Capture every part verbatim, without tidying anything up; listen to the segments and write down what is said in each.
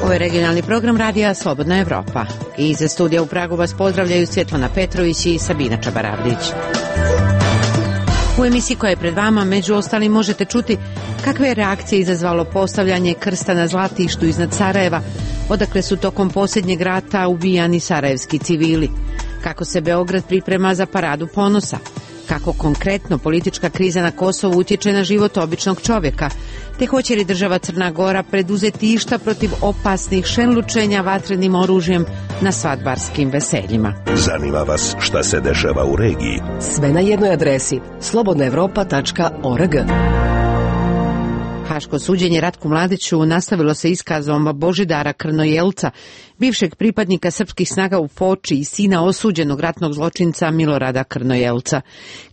Ovo je regionalni program radija Slobodna Evropa. Iz studija u Pragu vas pozdravljaju Svjetlana Petrović i Sabina Čabaravlić. U emisiji koja je pred vama, među ostalim, možete čuti kakve je reakcije izazvalo postavljanje krsta na Zlatištu iznad Sarajeva, odakle su tokom posljednjeg rata ubijani sarajevski civili, kako se Beograd priprema za paradu ponosa, kako konkretno politička kriza na Kosovu utječe na život običnog čovjeka, te hoće li država Crna Gora preduzeti išta protiv opasnih šenlučenja vatrenim oružjem na svadbarskim veseljima. Zanima vas šta se dešava u regiji? Sve na jednoj adresi slobodna evropa tačka org. Haško suđenje Ratku Mladiću nastavilo se iskazom Božidara Krnojelca, bivšeg pripadnika srpskih snaga u Foči i sina osuđenog ratnog zločinca Milorada Krnojelca.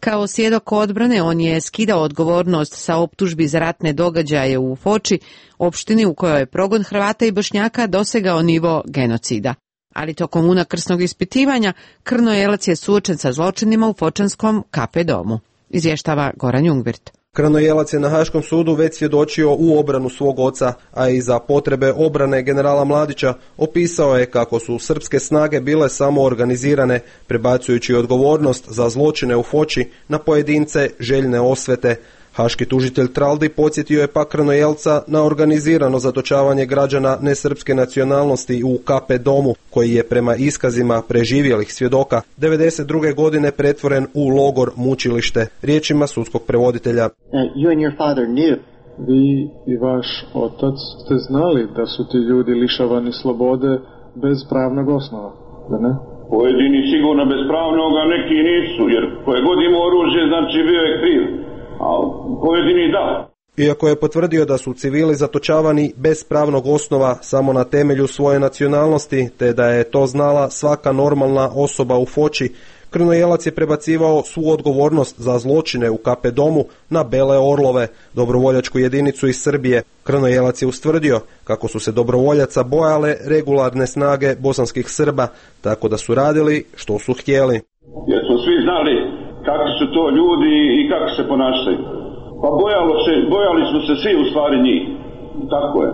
Kao svjedok odbrane on je skidao odgovornost sa optužbi za ratne događaje u Foči, opštini u kojoj je progon Hrvata i Bošnjaka dosegao nivo genocida. Ali tokom unakrsnog ispitivanja Krnojelac je suočen sa zločinima u Fočanskom K P domu. Izvještava Goran Jungwirth. Krnojelac je na Haškom sudu već svjedočio u obranu svog oca, a i za potrebe obrane generala Mladića opisao je kako su srpske snage bile samo organizirane, prebacujući odgovornost za zločine u Foči na pojedince željne osvete. Haški tužitelj Traldi podsjetio je pak Krnojelca na organizirano zatočavanje građana nesrpske nacionalnosti u K P domu, koji je prema iskazima preživjelih svjedoka devedeset druge godine pretvoren u logor mučilište, riječima sudskog prevoditelja. You and your father knew. Vi i vaš otac ste znali da su ti ljudi lišavani slobode bez pravnog osnova, da ne? Pojedini sigurno bez pravnog, a neki nisu, jer koje god ima oružje, znači bio je kriv. A pojedini da. Iako je potvrdio da su civili zatočavani bez pravnog osnova samo na temelju svoje nacionalnosti, te da je to znala svaka normalna osoba u Foči, Krnojelac je prebacivao svu odgovornost za zločine u K P domu na Bele Orlove, dobrovoljačku jedinicu iz Srbije. Krnojelac je ustvrdio kako su se dobrovoljaca bojale regularne snage bosanskih Srba, tako da su radili što su htjeli. Jer smo svi znali kakvi su to ljudi i kako se ponašaju. Pa bojalo se, bojali smo se svi u stvari njih. Tako je.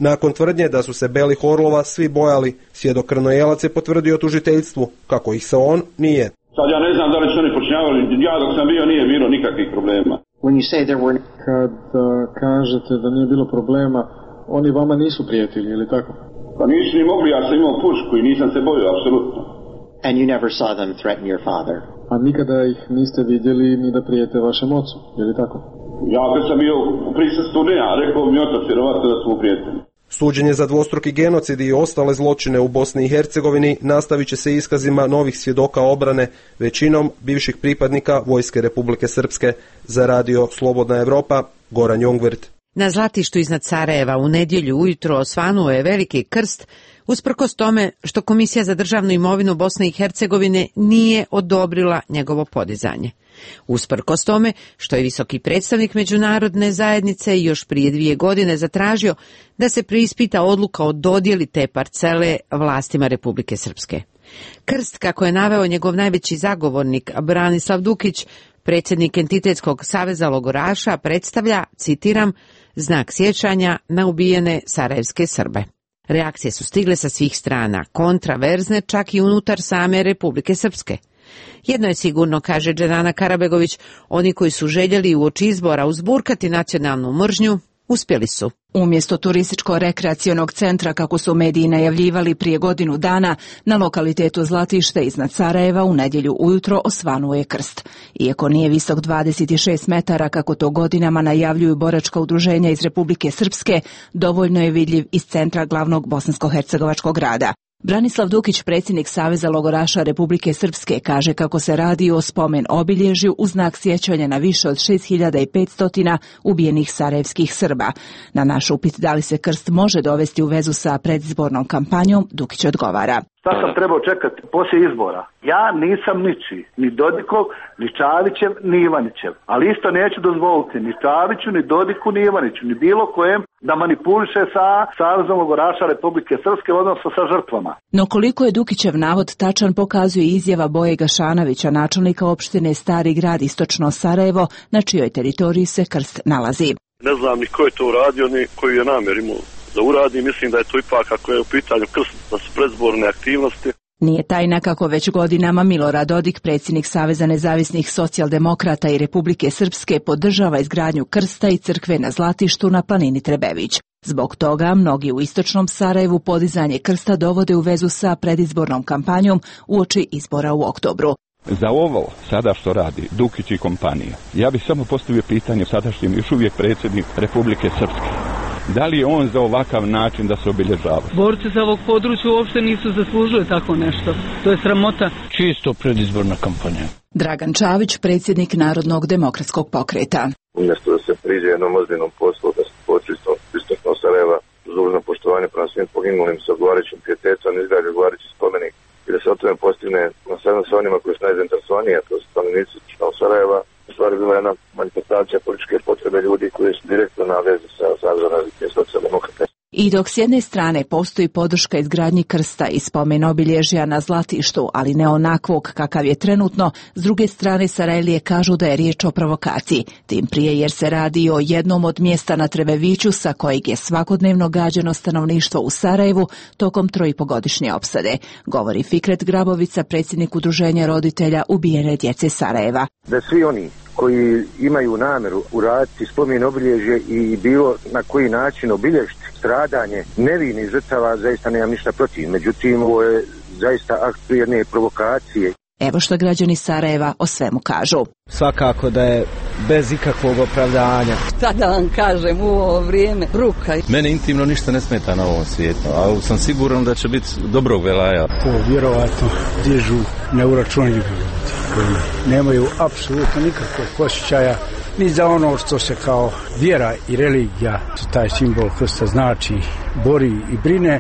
Nakon tvrdnje da su se Belih Orlova svi bojali, svjedok Krnojelac je potvrdio tužiteljstvu kako ih se on nije. Sad ja ne znam da li su oni počinjavali, ja dok sam bio nije bilo nikakvih problema. When you say there were... Kad uh, kažete da nije bilo problema, oni vama nisu prijatelji, ili tako? Pa nisu ni mogli, ja sam imao pušku i nisam se bojio, apsolutno. And you never saw them threaten your father. A nikada ih niste vidjeli ni da prijete vašem ocu, je li tako? Ja kad sam bio u prisustvu, ne, a rekao mi otac vjerovatno da smo prijatelji. Suđenje za dvostruki genocid i ostale zločine u Bosni i Hercegovini nastavit će se iskazima novih svjedoka obrane, većinom bivših pripadnika Vojske Republike Srpske. Za radio Slobodna Evropa, Goran Jungwirth. Na Zlatištu iznad Sarajeva u nedjelju ujutro osvanuo je veliki krst, usprkos tome što Komisija za državnu imovinu Bosne i Hercegovine nije odobrila njegovo podizanje. Usprkos tome što je visoki predstavnik međunarodne zajednice još prije dvije godine zatražio da se preispita odluka o dodjeli te parcele vlastima Republike Srpske. Krst, kako je naveo njegov najveći zagovornik Branislav Dukić, predsjednik Entitetskog saveza logoraša, predstavlja, citiram, znak sjećanja na ubijene sarajevske Srbe. Reakcije su stigle sa svih strana, kontraverzne čak i unutar same Republike Srpske. Jedno je sigurno, kaže Dženana Karabegović, oni koji su željeli uoči izbora uzburkati nacionalnu mržnju, uspjeli su. Umjesto turističko-rekreacionog centra, kako su mediji najavljivali prije godinu dana, na lokalitetu Zlatište iznad Sarajeva u nedjelju ujutro osvanuo je krst. Iako nije visok dvadeset šest metara, kako to godinama najavljuju boračka udruženja iz Republike Srpske, dovoljno je vidljiv iz centra glavnog bosansko-hercegovačkog grada. Branislav Dukić, predsjednik Saveza logoraša Republike Srpske, kaže kako se radi o spomen obilježju u znak sjećanja na više od šest hiljada petsto ubijenih sarajevskih Srba. Na naš upit da li se krst može dovesti u vezu sa predizbornom kampanjom, Dukić odgovara. Sad sam trebao čekati poslije izbora. Ja nisam ničiji, ni Dodikov, ni Čavićev, ni Ivanićev. Ali isto neću dozvoliti ni Čaviću, ni Dodiku, ni Ivaniću, ni bilo kojem da manipuliše sa Savezom logoraša Republike Srpske, odnosno sa žrtvama. No koliko je Dukićev navod tačan pokazuje izjava Boje Gašanovića, načelnika opštine Stari Grad istočno Sarajevo, na čijoj teritoriji se krst nalazi. Ne znam ni ko je to uradio, ni koji je namjer imao da uradi. Mislim da je to ipak, ako je u pitanju krst, da su predizborne aktivnosti. Nije tajna kako već godinama Milorad Dodik, predsjednik Saveza nezavisnih socijaldemokrata i Republike Srpske, podržava izgradnju krsta i crkve na Zlatištu na planini Trebević. Zbog toga mnogi u istočnom Sarajevu podizanje krsta dovode u vezu sa predizbornom kampanjom uoči izbora u oktobru. Za ovo sada što radi Dukić i kompanija, ja bih samo postavio pitanje sadašnjem još uvijek predsjednik Republike Srpske. Da li je on za ovakav način da se obilježava? Borci za ovog područja uopšte nisu zaslužili tako nešto. To je sramota. Čisto predizborna kampanja. Dragan Čavić, predsjednik Narodnog demokratskog pokreta. Umjesto da se priđe jednom ozbiljnom poslu, da se počistom istočno Sarajeva uz dužno poštovanje prema svim poginulim sa odgovarajućim pijetetom, izgradi odgovarajući spomenik i da se o tome postigne nasadno sa onima koji su najzainteresovaniji, a to su stanovnici istočnog Sarajeva. U stvari bila jedna manifestacija političke potrebe ljudi koji su direktno na vezi sa Savezom različitih socijaldemokrata. I dok s jedne strane postoji podrška izgradnji krsta i spomen obilježja na Zlatištu, ali ne onakvog kakav je trenutno, s druge strane Sarajlije kažu da je riječ o provokaciji, tim prije jer se radi o jednom od mjesta na Trebeviću sa kojeg je svakodnevno gađano stanovništvo u Sarajevu tokom trojipogodišnje opsade, govori Fikret Grabovica, predsjednik udruženja roditelja ubijene djece Sarajeva. Da svi oni koji imaju namjeru uraditi spomen obilježje i bilo na koji način obilježiti stradanje nevinih žrtava, zaista nemam ništa protiv. Međutim, ovo je zaista akt jedne provokacije. Evo što građani Sarajeva o svemu kažu. Svakako da je bez ikakvog opravdanja. Šta da vam kažem u ovo vrijeme, bruka. Mene intimno ništa ne smeta na ovom svijetu, ali sam siguran da će biti dobrog velaja. To vjerovatno dižu neuračunljivi ljudi koji nemaju apsolutno nikakvog osjećaja ni za ono što se kao vjera i religija, taj simbol krsta znači, bori i brine,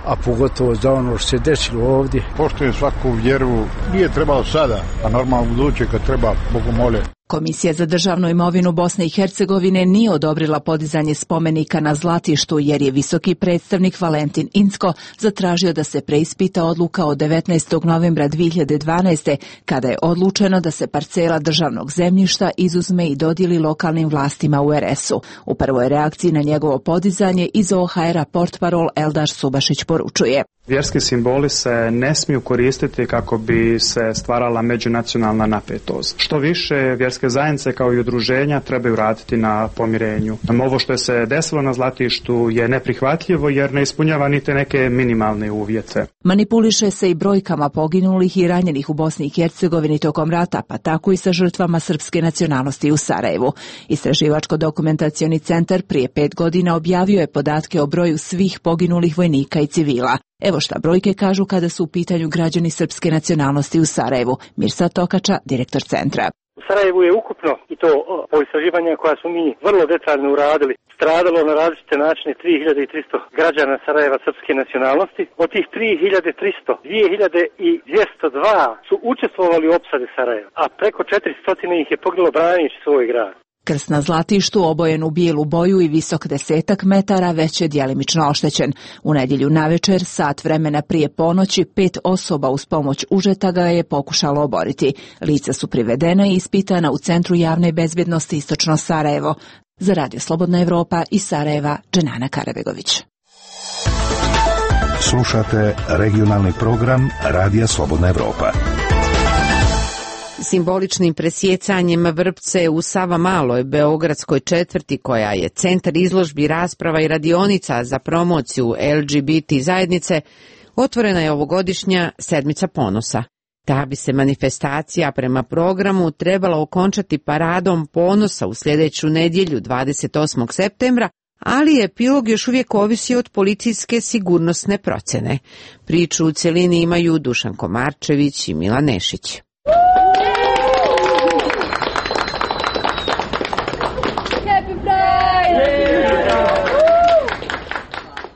a pogotovo za ono što se desilo ovdje. Poštujem svaku vjeru, nije trebalo sada, a normalno buduće kad treba, Bogu mole. Komisija za državnu imovinu Bosne i Hercegovine nije odobrila podizanje spomenika na Zlatištu jer je visoki predstavnik Valentin Incko zatražio da se preispita odluka od devetnaestog novembra dvije hiljade dvanaeste. kada je odlučeno da se parcela državnog zemljišta izuzme i dodijeli lokalnim vlastima u er es u. U prvoj reakciji na njegovo podizanje iz o ha era portparol Eldar Subašić poručuje. Vjerski simboli se ne smiju koristiti kako bi se stvarala međunacionalna napetost. Što više, vjerske zajednice kao i udruženja trebaju raditi na pomirenju. Ovo što je se desilo na Zlatištu je neprihvatljivo jer ne ispunjava niti neke minimalne uvjete. Manipuliše se i brojkama poginulih i ranjenih u Bosni i Hercegovini tokom rata, pa tako i sa žrtvama srpske nacionalnosti u Sarajevu. Istraživačko-dokumentacioni centar prije pet godina objavio je podatke o broju svih poginulih vojnika i civila. Evo šta brojke kažu kada su u pitanju građani srpske nacionalnosti u Sarajevu. Mirsad Tokača, direktor centra. U Sarajevu je ukupno, i to po istraživanjima koja smo mi vrlo detaljno uradili, stradalo na različite načine tri hiljade tristo građana Sarajeva srpske nacionalnosti. Od tih tri hiljade tristo, dvije hiljade dvjesto dva su učestvovali u opsadi Sarajeva, a preko četiristo ih je poginulo braneći svoj grad. Krst na Zlatištu, obojen u bijelu boju i visok desetak metara, već je djelimično oštećen. U nedjelju navečer, sat vremena prije ponoći, pet osoba uz pomoć užeta ga je pokušalo oboriti. Lica su privedena i ispitana u Centru javne bezbjednosti istočno Sarajevo. Za Radio Slobodna Evropa iz Sarajeva, Dženana Karabegović. Slušate regionalni program Radija Slobodna Evropa. Simboličnim presjecanjem vrpce u Savamaloj, beogradskoj četvrti, koja je centar izložbi, rasprava i radionica za promociju el ge be te zajednice, otvorena je ovogodišnja Sedmica ponosa. Ta bi se manifestacija prema programu trebala okončati paradom ponosa u sljedeću nedjelju dvadeset osmog septembra, ali epilog još uvijek ovisi od policijske sigurnosne procjene. Priču u cjelini imaju Dušan Komarčević i Milan Nešić.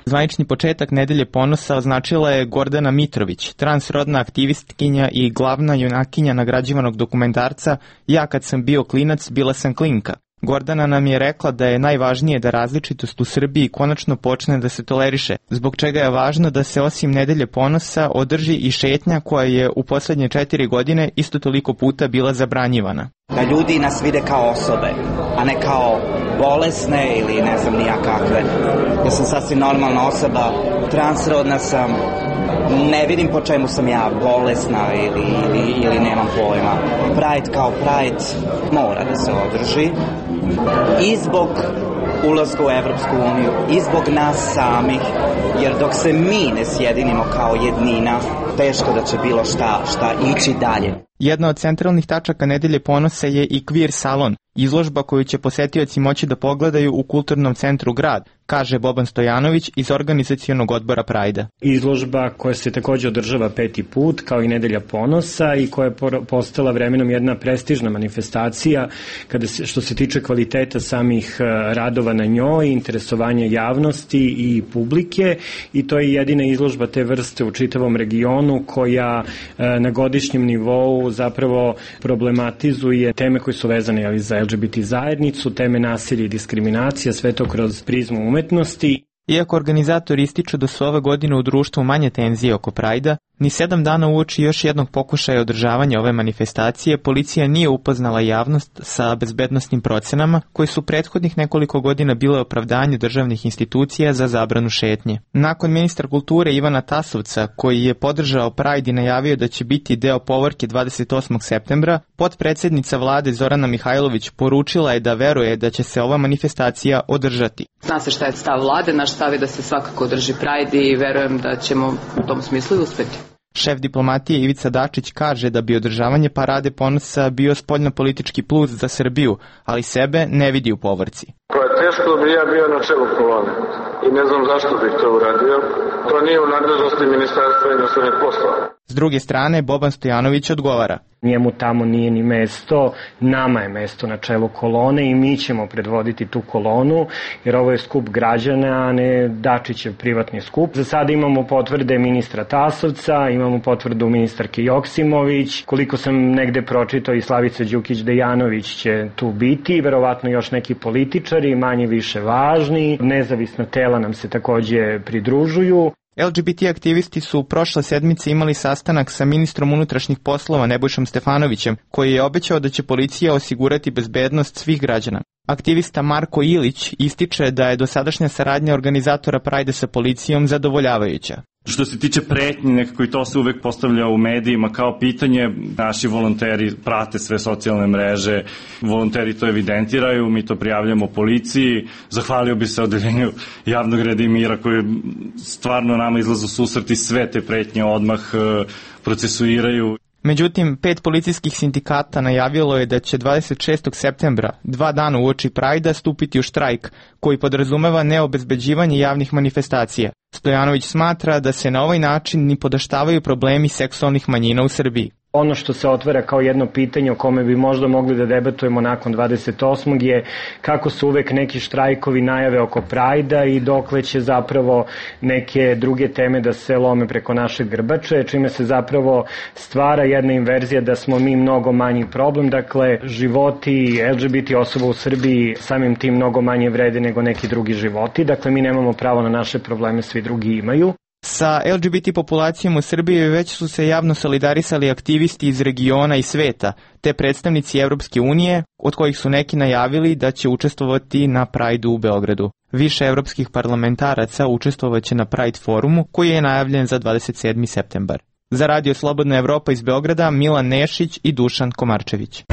Zvanični početak Nedelje ponosa označila je Gordana Mitrović, transrodna aktivistkinja i glavna junakinja nagrađivanog dokumentarca Ja kad sam bio klinac, bila sam klinka. Gordana nam je rekla da je najvažnije da različitost u Srbiji konačno počne da se toleriše, zbog čega je važno da se osim Nedelje ponosa održi i šetnja koja je u poslednje četiri godine isto toliko puta bila zabranjivana. Da ljudi nas vide kao osobe, a ne kao bolesne ili ne znam nija kakve. Ja sam sasvim normalna osoba, transrodna sam, ne vidim po čemu sam ja bolesna ili, ili, ili nemam pojma. Pride kao Pride mora da se održi i zbog ulazka u Evropsku uniju i zbog nas samih, jer dok se mi ne sjedinimo kao jednina, teško da će bilo šta, šta ići dalje. Jedna od centralnih tačaka Nedelje ponosa je i Queer salon, izložba koju će posetioci moći da pogledaju u Kulturnom centru Grad, kaže Boban Stojanović iz organizacionog odbora Prajda. Izložba koja se takođe održava peti put, kao i Nedelja ponosa, i koja je postala vremenom jedna prestižna manifestacija kada se, što se tiče kvaliteta samih radova na njoj, interesovanja javnosti i publike, i to je jedina izložba te vrste u čitavom regionu koja na godišnjem nivou zapravo problematizuje teme koje su vezane ali, za L G B T zajednicu, teme nasilja i diskriminacija, sve to kroz prizmu umetnosti. Iako organizatori ističu da su ove godine u društvu manje tenzije oko Prajda, ni sedam dana uoči još jednog pokušaja održavanja ove manifestacije, policija nije upoznala javnost sa bezbednosnim procenama koji su prethodnih nekoliko godina bile opravdanje državnih institucija za zabranu šetnje. Nakon ministra kulture Ivana Tasovca, koji je podržao Pride i najavio da će biti deo povorke dvadeset osmog septembra, potpredsednica vlade Zorana Mihajlović poručila je da veruje da će se ova manifestacija održati. Zna se šta je stav vlade, naš stav je da se svakako održi Pride i verujem da ćemo u tom smislu i uspeti. Šef diplomatije Ivica Dačić kaže da bi održavanje Parade ponosa bio spoljnopolitički plus za Srbiju, ali sebe ne vidi u povorci. To je teško da bi ja bio na čelu kolone i ne znam zašto bih to uradio. To nije u nadležnosti Ministarstva inostranih poslova. S druge strane, Boban Stojanović odgovara. Njemu tamo nije ni mesto, nama je mesto na čelu kolone i mi ćemo predvoditi tu kolonu, jer ovo je skup građana, a ne Dačićev privatni skup. Za sada imamo potvrde ministra Tasovca, imamo potvrdu ministarke Joksimović, koliko sam negde pročitao i Slavica Đukić-Dejanović će tu biti, verovatno još neki političari, manje više važni, nezavisna tela nam se takođe pridružuju. L G B T aktivisti su prošle sedmice imali sastanak sa ministrom unutrašnjih poslova Nebojšom Stefanovićem, koji je obećao da će policija osigurati bezbednost svih građana. Aktivista Marko Ilić ističe da je dosadašnja saradnja organizatora Prajda sa policijom zadovoljavajuća. Što se tiče pretnje, nekako i to se uvek postavlja u medijima kao pitanje. Naši volonteri prate sve socijalne mreže, volonteri to evidentiraju, mi to prijavljamo policiji. Zahvalio bi se odeljenju javnog reda i mira koji stvarno nama izlazu u susret i sve te pretnje odmah procesuiraju. Međutim, pet policijskih sindikata najavilo je da će dvadeset šestog septembra, dva dana uoči Prajda, stupiti u štrajk, koji podrazumeva neobezbeđivanje javnih manifestacija. Stojanović smatra da se na ovaj način ni podaštavaju problemi seksualnih manjina u Srbiji. Ono što se otvara kao jedno pitanje o kome bi možda mogli da debatujemo nakon dvadeset osmog je kako su uvek neki štrajkovi najave oko Prajda i dokle će zapravo neke druge teme da se lome preko našeg grbače, čime se zapravo stvara jedna inverzija da smo mi mnogo manji problem. Dakle, životi L G B T osoba u Srbiji samim tim mnogo manje vrede nego neki drugi životi. Dakle, mi nemamo pravo na naše probleme, svi drugi imaju. Sa L G B T populacijom u Srbiji već su se javno solidarisali aktivisti iz regiona i sveta, te predstavnici Evropske unije, od kojih su neki najavili da će učestvovati na Prajdu u Beogradu. Više evropskih parlamentaraca učestvovaće na Pride forumu, koji je najavljen za dvadeset sedmi septembar. Za Radio Slobodna Evropa iz Beograda, Milan Nešić i Dušan Komarčević.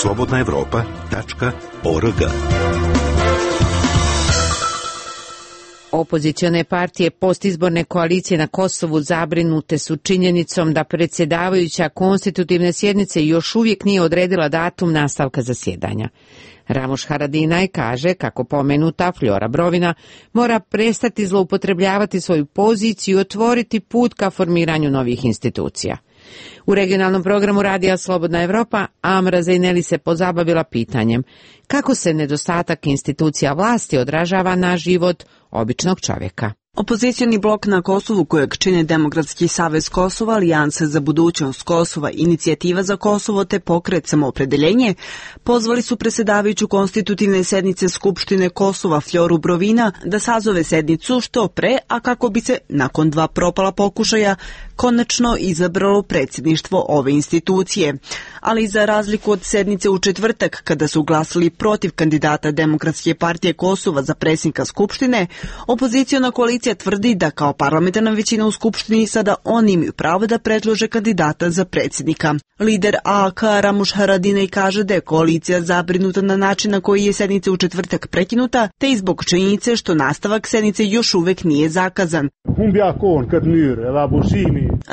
slobodna evropa tačka org. Opozicione partije postizborne koalicije na Kosovu zabrinute su činjenicom da predsjedavajuća konstitutivne sjednice još uvijek nije odredila datum nastavka zasjedanja. Ramoš Haradinaj kaže kako pomenuta Flora Brovina mora prestati zloupotrebljavati svoju poziciju i otvoriti put ka formiranju novih institucija. U regionalnom programu Radija Slobodna Evropa Amra Zejneli se pozabavila pitanjem kako se nedostatak institucija vlasti odražava na život običnog čovjeka. Opozicioni blok na Kosovu kojeg čine Demokratski savez Kosova, Alijansa za budućnost Kosova, Inicijativa za Kosovo te Pokret Samoopredeljenje pozvali su predsjedavajuću konstitutivne sednice Skupštine Kosova Fljoru Brovina da sazove sednicu što pre, a kako bi se nakon dva propala pokušaja konačno izabralo predsjedništvo ove institucije. Ali za razliku od sednice u četvrtak kada su glasali protiv kandidata Demokratske partije Kosova za predsjednika Skupštine, opoziciona koalicija tvrdi da kao parlamentarna većina u Skupštini sada oni imaju pravo da predlože kandidata za predsjednika. Lider A A K Ramuš Haradinaj kaže da je koalicija zabrinuta na način na koji je sednica u četvrtak prekinuta, te i zbog činjenice što nastavak sednice još uvek nije zakazan.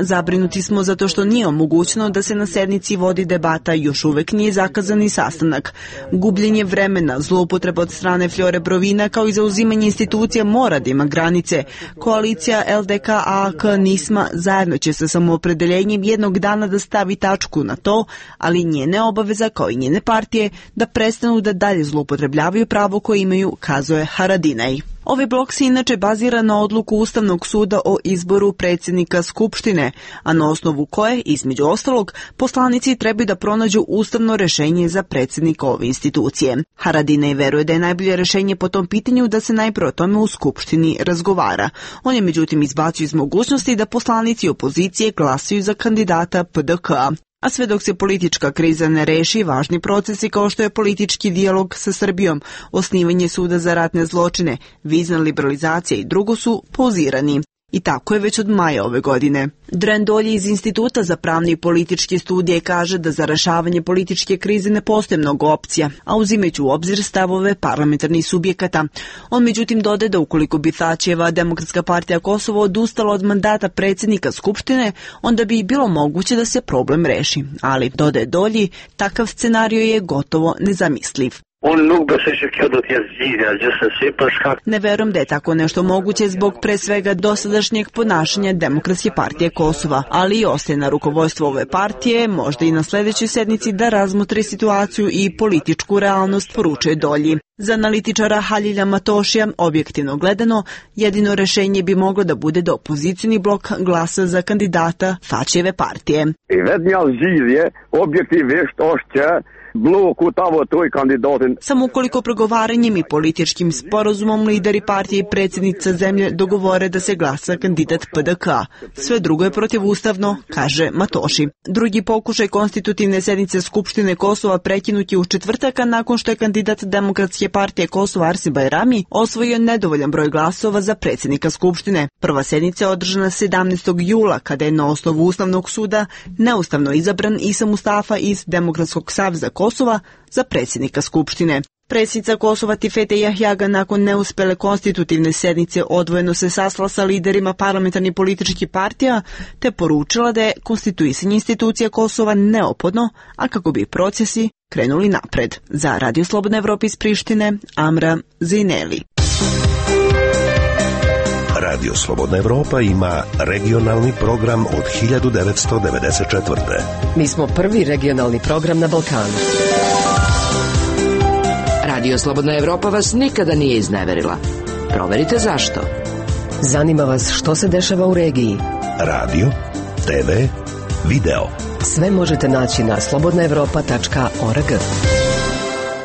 Zabrinuti smo zato što nije omogućeno da se na sednici vodi debata, još uvek nije zakazani sastanak. Gubljenje vremena, zloupotreba od strane Fljore Brovina kao i zauzimanje institucija mora da ima granice. Koalicija L D K A A K Nisma zajedno će sa Samoopredeljenjem jednog dana da stavi tačku na to, ali njene obaveza kao i njene partije da prestanu da dalje zloupotrebljavaju pravo koje imaju, kazuje Haradinaj. Ovaj blok se inače bazira na odluku Ustavnog suda o izboru predsjednika Skupštine, a na osnovu koje, između ostalog, poslanici trebaju da pronađu ustavno rešenje za predsjednika ove institucije. Haradinaj veruje da je najbolje rešenje po tom pitanju da se najprije o tome u Skupštini razgovara. On je međutim izbacio iz mogućnosti da poslanici opozicije glasaju za kandidata P D K. A sve dok se politička kriza ne reši, važni procesi kao što je politički dijalog sa Srbijom, osnivanje suda za ratne zločine, vizna liberalizacija i drugo su pauzirani. I tako je već od maja ove godine. Dren Dolje iz Instituta za pravne i političke studije kaže da za rešavanje političke krize ne postoje mnogo opcija, a uzimajući u obzir stavove parlamentarnih subjekata. On međutim dodaje da ukoliko bi Tačijeva Demokratska partija Kosovo odustala od mandata predsjednika Skupštine, onda bi bilo moguće da se problem reši. Ali, dodaje Dolji, takav scenario je gotovo nezamisliv. Ne verujem da je tako nešto moguće zbog pre svega dosadašnjeg ponašanja Demokratske partije Kosova, ali i ostaje na rukovodstvo ove partije, možda i na sljedećoj sednici da razmotri situaciju i političku realnost, poručuje Dolji. Za analitičara Halilja Matošija, objektivno gledano, jedino rešenje bi moglo da bude da opozicioni blok glasa za kandidata Tačijeve partije. Samo ukoliko pregovaranjem i političkim sporazumom lideri partije i predsjednica zemlje dogovore da se glasa kandidat P D K. Sve drugo je protivustavno, kaže Matoši. Drugi pokušaj konstitutivne sednice Skupštine Kosova prekinut je u četvrtaka nakon što je kandidat Demokratske partije Kosova Arsim Bajrami osvojio nedovoljan broj glasova za predsjednika Skupštine. Prva sednica je održana sedamnaestog jula kada je na osnovu Ustavnog suda neustavno izabran Isa Mustafa iz Demokratskog saveza Kosova za predsjednika Skupštine. Predsjednica Kosova Tifete Jahjaga nakon neuspele konstitutivne sednice odvojeno se sastala sa liderima parlamentarnih političkih partija te poručila da je konstituisanje institucija Kosova neophodno, a kako bi procesi krenuli napred. Za Radio Slobodna Evropa iz Prištine, Amra Zejneli. Radio Slobodna Evropa ima regionalni program od hiljadu devetsto devedeset četvrte. Mi smo prvi regionalni program na Balkanu. Radio Slobodna Evropa vas nikada nije izneverila. Proverite zašto. Zanima vas što se dešava u regiji. Radio, te ve, video. Sve možete naći na slobodna evropa tačka org.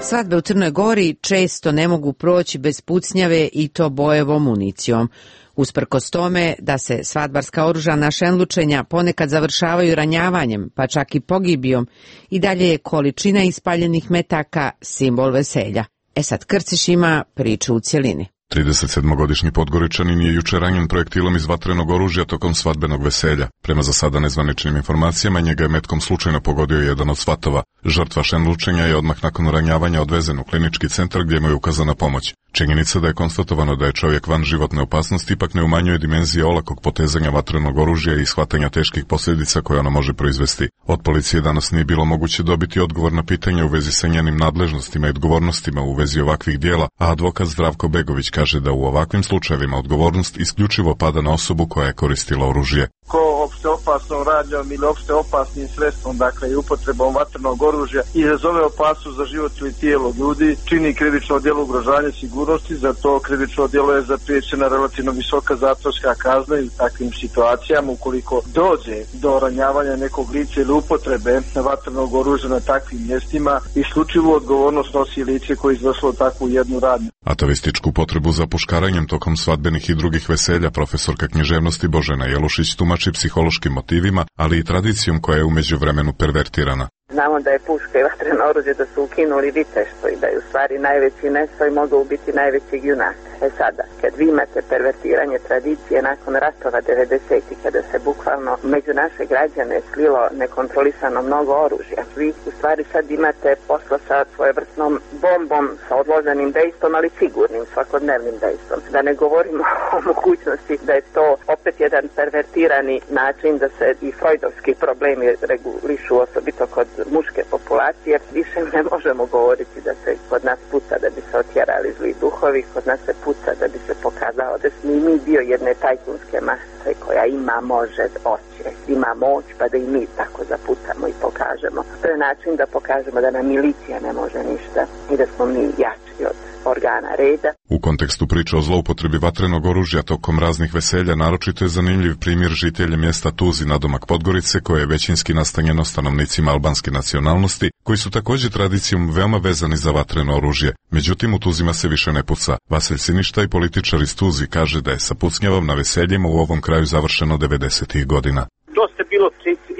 Svadbe u Crnoj Gori često ne mogu proći bez pucnjave i to bojevom municijom. Usprkos tome da se svadbarska oružana šenlučenja ponekad završavaju ranjavanjem, pa čak i pogibijom, i dalje je količina ispaljenih metaka simbol veselja. E sad Krciš ima priču u cjelini. tridesetsedmogodišnji Podgoričanin je juče ranjen projektilom iz vatrenog oružja tokom svadbenog veselja. Prema za sada nezvaničnim informacijama, njega je metkom slučajno pogodio jedan od svatova. Žrtva šenlučenja je odmah nakon ranjavanja odvezen u klinički centar gdje mu je ukazana pomoć. Činjenica da je konstatovano da je čovjek van životne opasnosti ipak ne umanjuje dimenzije olakog potezanja vatrenog oružja i shvatanja teških posljedica koje ono može proizvesti. Od policije danas nije bilo moguće dobiti odgovor na pitanje u vezi sa njenim nadležnostima i odgovornostima u vezi ovakvih dijela, a advokat Zdravko Begović kaže da u ovakvim slučajevima odgovornost isključivo pada na osobu koja je koristila oružje. ko opšte opasnom radnjom ili opšte opasnim sredstvom, dakle i upotrebom vatrenog oružja, izazove opasnost za život ili tijelo ljudi, čini krivično djelo ugrožavanja sigurnosti, za to krivično djelo je zapriječena relativno visoka zatvorska kazna i u takvim situacijama ukoliko dođe do ranjavanja nekog lica ili upotrebe vatrenog oružja na takvim mjestima, isključivu odgovornost nosi lice koje je izvršilo takvu jednu radnju. Atavističku potrebu za puškaranjem tokom svadbenih i drugih veselja profesorka književnosti Božena Jelušić tumači psihološkim motivima, ali i tradicijom koja je u međuvremenu pervertirana. Znamo da je puška i vatreno oružje da su ukinuli viteštvo i da je u stvari najveći nesoj mogao biti najvećeg junaka. E sada, kad vi imate pervertiranje tradicije nakon ratova devedesetih, kada se bukvalno među naše građane slilo nekontrolisano mnogo oružja, vi u stvari sad imate posla sa svojevrsnom bombom, sa odloženim dejstvom, ali sigurnim, svakodnevnim dejstvom. Da ne govorimo o mogućnosti da je to opet jedan pervertirani način da se i freudovski problemi regulišu, osobito kod muške populacije. Više ne možemo govoriti da se kod nas puca da bi se otjerali zli duhovi, kod nas se puca da bi se pokazao da smo i mi dio jedne tajkunske mase koja ima, može, hoće, ima moć, pa da i mi tako zapucamo i pokažemo. To je način da pokažemo da nam milicija ne može ništa i da smo mi jači od organa reda. U kontekstu priče o zloupotrebi vatrenog oružja tokom raznih veselja naročito je zanimljiv primjer žitelja mjesta Tuzi nadomak Podgorice, koje je većinski nastanjeno stanovnicima albanske nacionalnosti, koji su također tradicijom veoma vezani za vatreno oružje. Međutim, u Tuzima se više ne puca. Vasilj Siništa i političar iz Tuzi kaže da je sa pucnjavom na veseljima u ovom kraju završeno devedesetih godina. Dosta bilo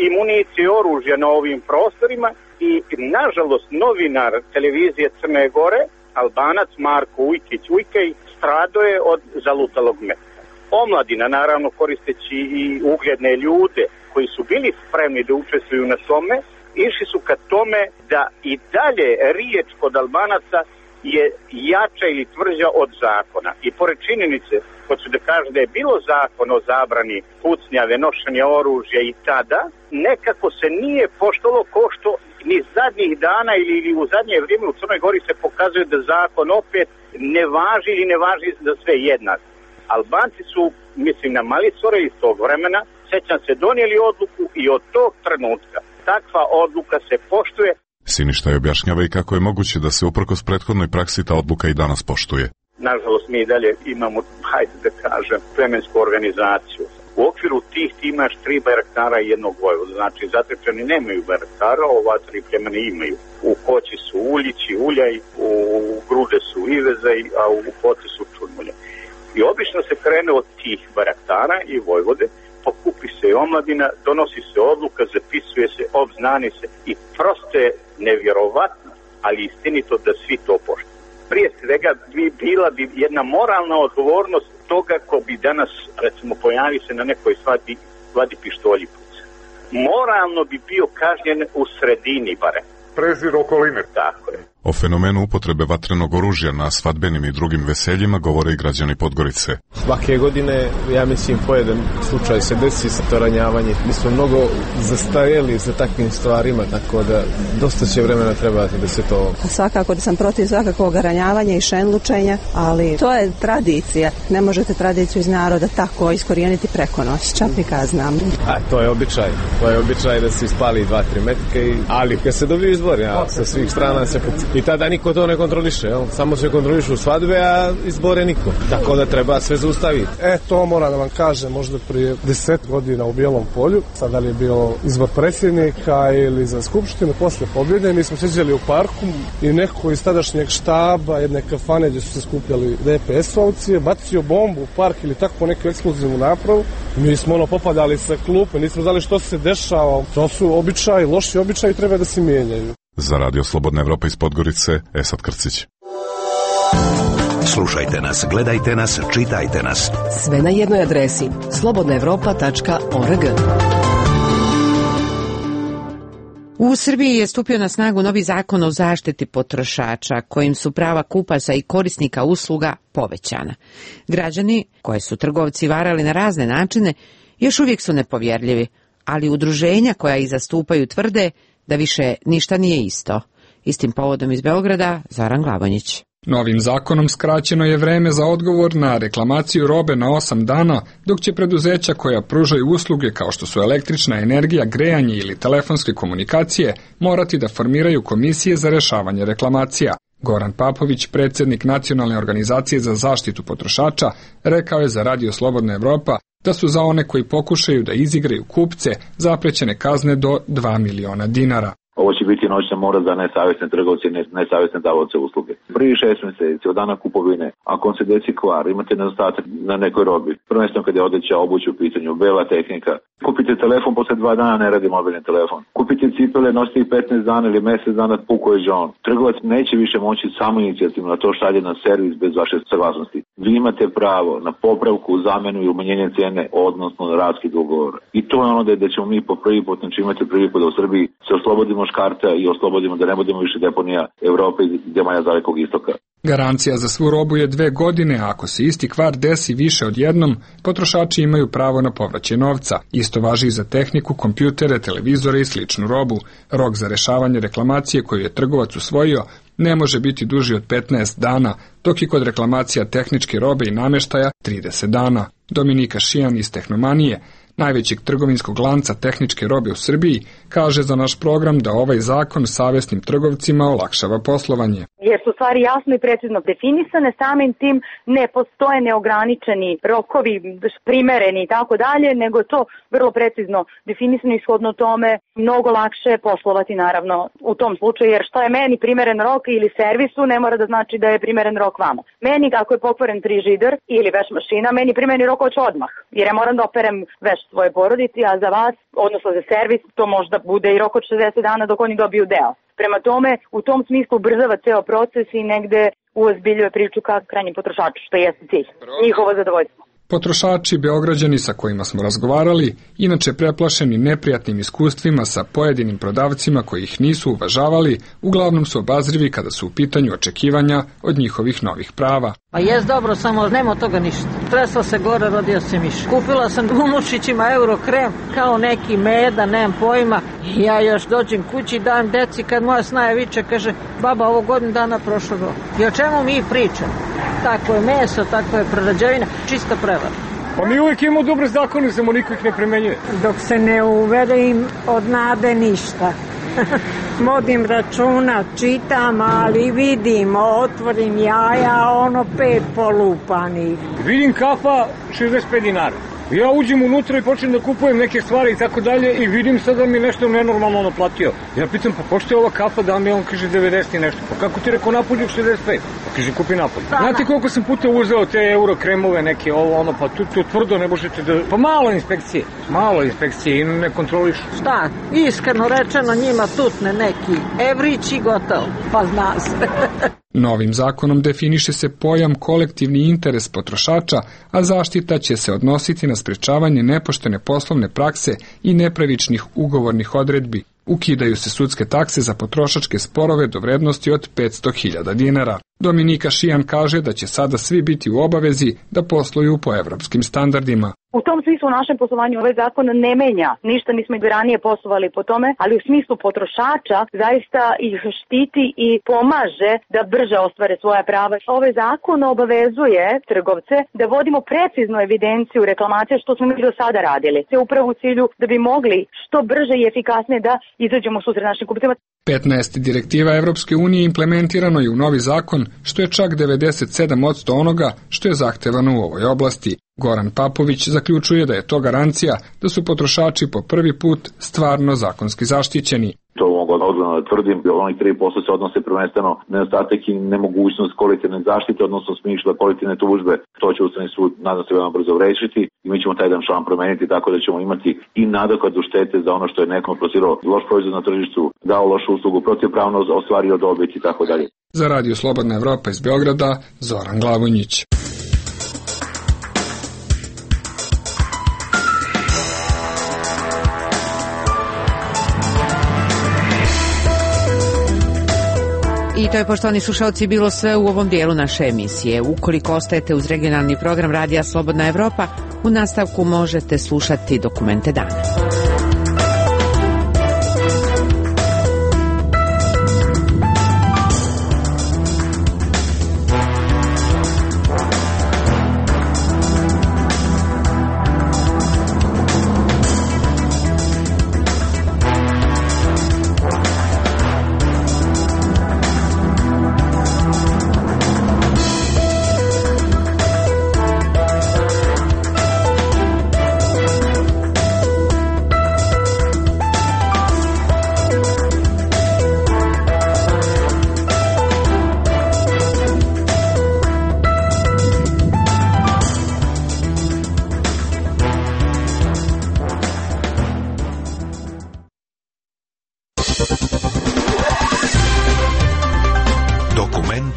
i municije i oružja na ovim prostorima i, nažalost, novinar televizije Crne Gore, Albanac Marko Ujkić Ujkej, stradao je od zalutalog metka. Omladina, naravno koristeći i ugledne ljude koji su bili spremni da učestvuju na tome, išli su ka tome da i dalje riječ kod Albanaca je jača ili tvrđa od zakona. I pored činjenice, hoću da kažem da je bilo zakon o zabrani pucnjave, nošenja oružja i tada, nekako se nije poštovalo ko što ni zadnjih dana ili, ili u zadnje vrijeme u Crnoj Gori se pokazuje da zakon opet ne važi ili ne važi za sve jednak. Albanci su, mislim na Malicore iz tog vremena, sećam se, donijeli odluku i od tog trenutka takva odluka se poštuje. Siništa je objašnjava i kako je moguće da se uprkos prethodnoj praksi ta odluka i danas poštuje. Nažalost, mi i dalje imamo, hajde da kažem, plemensku organizaciju. U okviru tih ti imaš tri bajraktara i jednog vojvoda. Znači, Zatečani nemaju bajraktara, ova tri plemena imaju. U Koći su Uljići, Uljaj, u Grude su Ivezaj, a u Koci su Čurmulje. I obično se krene od tih bajraktara i vojvode, pokupi se i omladina, donosi se odluka, zapisuje se, obznani se i prosto je nevjerovatno, ali istinito da svi to poštuju. Prije svega bi bila bi jedna moralna odgovornost toga ko bi danas, recimo, pojavi se na nekoj svadbi, vadi pištolji puca. Moralno bi bio kažnjen u sredini barem. Prezir okoline. Tako je. O fenomenu upotrebe vatrenog oružja na svadbenim i drugim veseljima govore i građani Podgorice. Svake godine, ja mislim, po jedan slučaj se desi sa to ranjavanje. Mi smo mnogo zastarjeli za takvim stvarima, tako da dosta će vremena trebati da se to... Svakako da sam protiv svakakvog ranjavanja i šenlučenja, ali to je tradicija. Ne možete tradiciju iz naroda tako iskorijeniti preko noći. Čapnika znam. A to je običaj. To je običaj da se ispali dva, tri metke, i... ali kad se dobiju izbori, ja, sa svih strana se puci. I tada niko to ne kontroliše, jel? Samo se kontrolišu svadbe, a izbore niko. Tako da treba sve zaustaviti. E, to moram da vam kažem, možda prije deset godina u Bijelom polju, sad da li je bilo izbor predsjednika ili za skupštinu, posle pobjede, mi smo sjeđali u parku i neko iz tadašnjeg štaba, jedne kafane gdje su se skupljali D P S-ovci, bacio bombu u park ili tako neku eksplozivnu napravu. Mi smo ono popadali sa klupe, nismo znali što se dešava. To su običaji, loši običaji, treba da se mijenjaju. Za Radio Slobodna Evropa iz Podgorice, Esad Krcić. Slušajte nas, gledajte nas, čitajte nas. Sve na jednoj adresi slobodna evropa tačka org. U Srbiji je stupio na snagu novi zakon o zaštiti potrošača, kojim su prava kupaca i korisnika usluga povećana. Građani, koje su trgovci varali na razne načine, još uvijek su nepovjerljivi, ali udruženja koja ih zastupaju tvrde da više ništa nije isto. Istim povodom iz Beograda, Zoran Glavonjić. Novim zakonom skraćeno je vreme za odgovor na reklamaciju robe na osam dana, dok će preduzeća koja pružaju usluge kao što su električna energija, grejanje ili telefonske komunikacije morati da formiraju komisije za rešavanje reklamacija. Goran Papović, predsjednik Nacionalne organizacije za zaštitu potrošača, rekao je za Radio Slobodna Evropa da su za one koji pokušaju da izigraju kupce zaprećene kazne do dva miliona dinara. Ovo će biti noćna mora za nesavjesne trgovce i nesavjesne davaoce usluge. Prvi šest mjeseci od dana kupovine, ako vam se desi kvar, imate nedostatak na nekoj robi, prvenstveno kad je odeća, obuća u pitanju, bela tehnika, kupite telefon, posle dva dana ne radi mobilni telefon. Kupite cipele, nosite i petnaest dana ili mjesec dana, puko je žon. Trgovac neće više moći samo inicijativno da to šalje na servis bez vaše saglasnosti. Vi imate pravo na popravku, zamenu i umanjenje cene, odnosno na raskid ugovora. I to je ono da, da ćemo mi po prvi put, znači imate prvi put da u Srbiji se oslobodimo škarta i oslobodimo da ne budemo više deponija Evrope i zemalja Dalekog istoka. Garancija za svu robu je dve godine, a ako se isti kvar desi više od jednom, potrošači imaju pravo na povraćaj novca. Isto važi i za tehniku, kompjutere, televizore i sličnu robu. Rok za rešavanje reklamacije koju je trgovac usvojio ne može biti duži od petnaest dana, dok je kod reklamacija tehničke robe i nameštaja trideset dana. Dominika Šijan iz Tehnomanije, najvećeg trgovinskog lanca tehničke robe u Srbiji, kaže za naš program da ovaj zakon savjesnim trgovcima olakšava poslovanje. Jer su stvari jasno i precizno definisane, samim tim ne postoje neograničeni rokovi, primereni i tako dalje, nego je to vrlo precizno definisano i shodno tome mnogo lakše poslovati naravno u tom slučaju, jer što je meni primeren rok ili servisu ne mora da znači da je primeren rok vama. Meni ako je pokvaren frižider ili veš mašina, meni primjereni rok hoće odmah, jer ja moram da operem veš svoje porodici, a za vas, odnosno za servis, to možda bude i rok od šezdeset dana dok oni dobiju deo. Prema tome, u tom smislu ubrzava ceo proces i negde uozbiljuje priču ka krajnjem potrošaču, što jeste cilj, njihovo zadovoljstvo. Potrošači Beograđani sa kojima smo razgovarali, inače preplašeni neprijatnim iskustvima sa pojedinim prodavcima koji ih nisu uvažavali, uglavnom su obazrivi kada su u pitanju očekivanja od njihovih novih prava. Pa jes dobro, samo nema od toga ništa. Tresla se gore, rodio se miš. Kupila sam unučićima euro krem, kao neki meda, nemam pojma. Ja još dođem kući, dajem deci, kad moja snaja viče, kaže, baba, ovo godinu dana prošlo go. I o čemu mi pričamo? Tako je meso, tako je prerađevina, čista prevara. Pa mi uvijek imamo dobre zakone, samo niko ih ne primenjuje. Dok se ne uvede im od nade ništa. Vodim računa, čitam, ali vidim, otvorim jaja, ono pet polupanih. Vidim kafa šezdeset pet dinara. Ja uđem unutra i počnem da kupujem neke stvari i tako dalje i vidim sad da mi nešto nenormalno naplatio. Ja pitam, pa pošto je ova kafa, da mi on kaže devedeset i nešto. Pa kako ti rekao napolju šezdeset pet? Pa kaže kupi napolju. Znate koliko sam puta uzeo te euro kremove neke, ovo ono, pa tu, tu tvrdo ne možete da... Pa malo inspekcije, malo inspekcije i ne kontroliš. Šta, iskreno rečeno njima tutne neki evrić i gotovo, pa zna se. Novim zakonom definiše se pojam kolektivni interes potrošača, a zaštita će se odnositi na sprečavanje nepoštene poslovne prakse i nepravičnih ugovornih odredbi. Ukidaju se sudske takse za potrošačke sporove do vrednosti od petsto hiljada dinara. Dominika Šijan kaže da će sada svi biti u obavezi da posluju po evropskim standardima. U tom smislu u našem poslovanju ovaj zakon ne menja. Ništa nismo i ranije poslovali po tome, ali u smislu potrošača zaista ih štiti i pomaže da brže ostvare svoja prava. Ovaj zakon obavezuje trgovce da vodimo preciznu evidenciju reklamacije što smo mi do sada radili. Sve upravo u cilju da bi mogli što brže i efikasnije da izađemo u susret našim kupcima. petnaest direktiva Evropske unije implementirano je u novi zakon, što je čak devedeset sedam posto onoga što je zahtevano u ovoj oblasti. Goran Papović zaključuje da je to garancija da su potrošači po prvi put stvarno zakonski zaštićeni. To mogu odgovorno da tvrdim, onih tri posto se odnose prvenstveno nedostatak i nemogućnost kolektivne zaštite, odnosno smisla kolektivne tužbe. To će Ustavni sud, nadam se, veoma brzo rešiti i mi ćemo taj jedan član promeniti tako da ćemo imati i nadoknadu štete za ono što je nekom plasirao loš proizvod na tržištu, dao lošu uslugu, protivpravno ostvario dobit i tako dalje. Za Radio Slobodna Evropa iz Beograda, Zoran Glavonjić. I to je, poštovani slušalci, bilo sve u ovom dijelu naše emisije. Ukoliko ostajete uz regionalni program Radija Slobodna Evropa, u nastavku možete slušati Dokumente dana.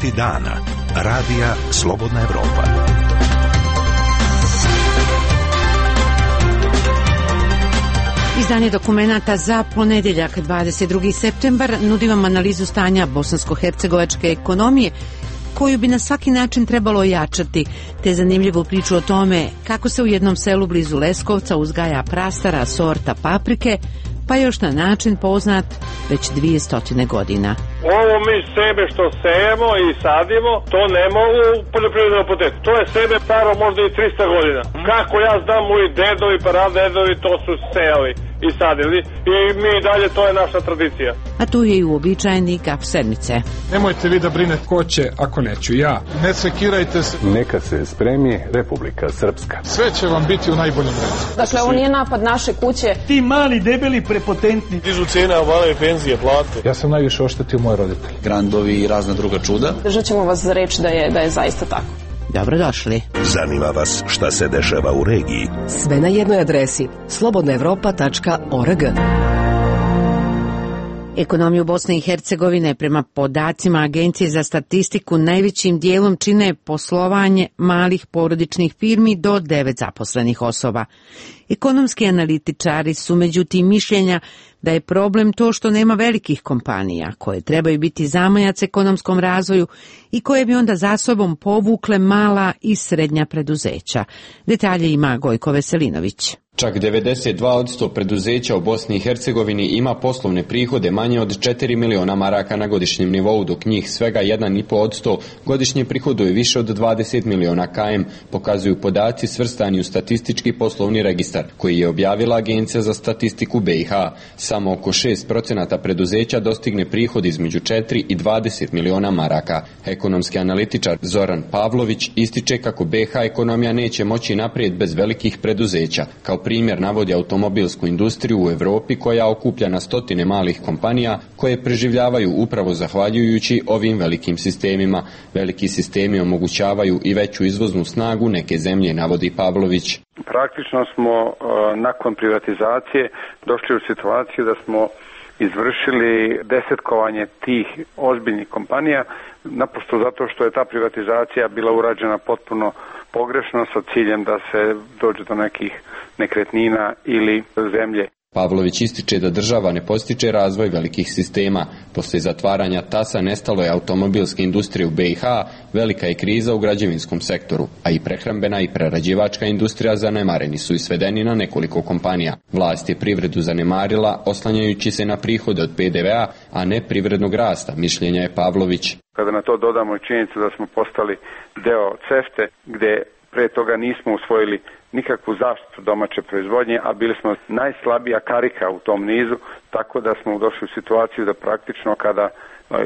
Vesti dana. Radija Slobodna Evropa. Izdanje dokumenata za ponedeljak dvadeset drugi septembar nudi vam analizu stanja bosansko-hercegovačke ekonomije koju bi na svaki način trebalo ojačati, te zanimljivu priču o tome kako se u jednom selu blizu Leskovca uzgaja prastara sorta paprike, pa još na način poznat već dvije stotine godina. Ovo mi sebe što sejemo i sadimo, to ne mogu poljoprivredno poteti. To je sebe staro možda i trista godina. Kako ja znam, moji dedovi, pradedovi to su sejali i sadili i mi dalje, to je naša tradicija. A tu je i uobičajeni gaf sedmice. Nemojte vi da brine ko će ako neću ja. Ne sekirajte se. Neka se spremi Republika Srpska. Sve će vam biti u najboljem redu. Dakle, ovo nije napad naše kuće. Ti mali, debeli, prepotentni. Dižu cijene, obale penzije, plate. Ja sam najviše oštetio moje roditelje. Grandovi i razna druga čuda. Držat ćemo vas za reč da je, da je zaista tako. Dobrodošli. Zanima vas šta se dešava u regiji? Sve na jednoj adresi slobodna evropa tačka org. Ekonomiju Bosne i Hercegovine prema podacima Agencije za statistiku najvećim dijelom čine poslovanje malih porodičnih firmi do devet zaposlenih osoba. Ekonomski analitičari su međutim mišljenja da je problem to što nema velikih kompanija koje trebaju biti zamajac ekonomskom razvoju i koje bi onda za sobom povukle mala i srednja preduzeća. Detalje ima Gojko Veselinović. Čak devedeset dva posto preduzeća u Bosni i Hercegovini ima poslovne prihode manje od četiri miliona maraka na godišnjem nivou, dok njih svega jedan i po posto godišnje prihoduje više od dvadeset miliona km, pokazuju podaci svrstani u statistički poslovni registar, koji je objavila Agencija za statistiku B i H. Samo oko šest procenata preduzeća dostigne prihod između četiri i dvadeset miliona maraka. Ekonomski analitičar Zoran Pavlović ističe kako B i H ekonomija neće moći naprijed bez velikih preduzeća. Kao primjer navodi automobilsku industriju u Evropi koja okuplja na stotine malih kompanija koje preživljavaju upravo zahvaljujući ovim velikim sistemima. Veliki sistemi omogućavaju i veću izvoznu snagu neke zemlje, navodi Pavlović. Praktično smo uh, nakon privatizacije došli u situaciju da smo izvršili desetkovanje tih ozbiljnih kompanija, naprosto zato što je ta privatizacija bila urađena potpuno pogrešno sa ciljem da se dođe do nekih nekretnina ili zemlje. Pavlović ističe da država ne postiče razvoj velikih sistema. Poslije zatvaranja tasa nestalo je automobilske industrije u B i H, velika je kriza u građevinskom sektoru, a i prehrambena i prerađivačka industrija zanemareni su i svedeni na nekoliko kompanija. Vlast je privredu zanemarila oslanjajući se na prihode od P D V A, a ne privrednog rasta, mišljenja je Pavlović. Kada na to dodamo i činjenicu da smo postali deo CEFTA, gde pre toga nismo usvojili nikakvu zaštitu domaće proizvodnje, a bili smo najslabija karika u tom nizu, tako da smo došli u situaciju da praktično kada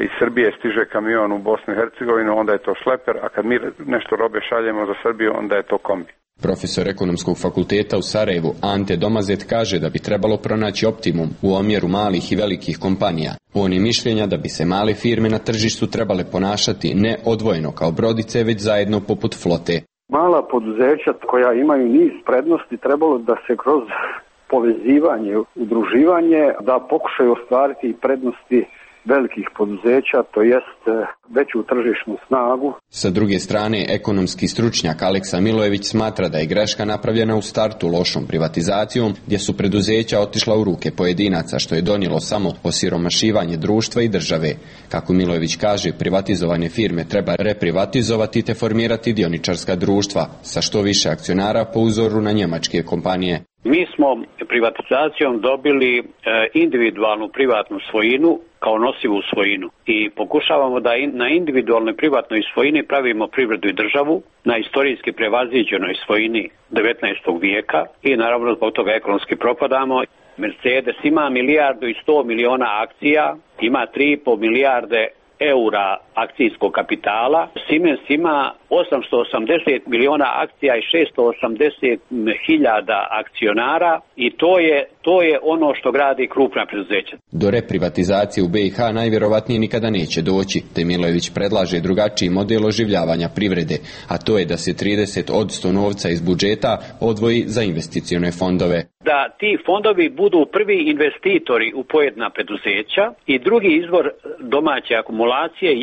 iz Srbije stiže kamion u Bosnu i Hercegovinu, onda je to šleper, a kad mi nešto robe šaljemo za Srbiju, onda je to kombi. Profesor ekonomskog fakulteta u Sarajevu Ante Domazet kaže da bi trebalo pronaći optimum u omjeru malih i velikih kompanija. On je mišljenja da bi se male firme na tržištu trebale ponašati ne odvojeno kao brodice, već zajedno poput flote. Mala poduzeća koja imaju niz prednosti trebalo da se kroz povezivanje, udruživanje, da pokušaju ostvariti prednosti velikih poduzeća, to jest veću tržišnu snagu. Sa druge strane, ekonomski stručnjak Aleksa Milojević smatra da je greška napravljena u startu lošom privatizacijom, gdje su preduzeća otišla u ruke pojedinaca, što je donijelo samo osiromašivanje društva i države. Kako Milojević kaže, privatizovane firme treba reprivatizovati te formirati dioničarska društva sa što više akcionara po uzoru na njemačke kompanije. Mi smo privatizacijom dobili e, individualnu privatnu svojinu kao nosivu svojinu i pokušavamo da in, na individualnoj privatnoj svojini pravimo privredu i državu na istorijski prevaziđenoj svojini devetnaestog vijeka i naravno zbog toga ekonomski propadamo. Mercedes ima milijardu i sto miliona akcija, ima tri i po milijarde eura akcijskog kapitala. Siemens ima osamsto osamdeset miliona akcija i šesto osamdeset hiljada akcionara i to je, to je ono što gradi krupna preduzeća. Do reprivatizacije u B i H najvjerovatnije nikada neće doći, te Milojević predlaže drugačiji model oživljavanja privrede, a to je da se trideset posto novca iz budžeta odvoji za investicione fondove. Da ti fondovi budu prvi investitori u pojedina preduzeća i drugi izvor domaće akumulacije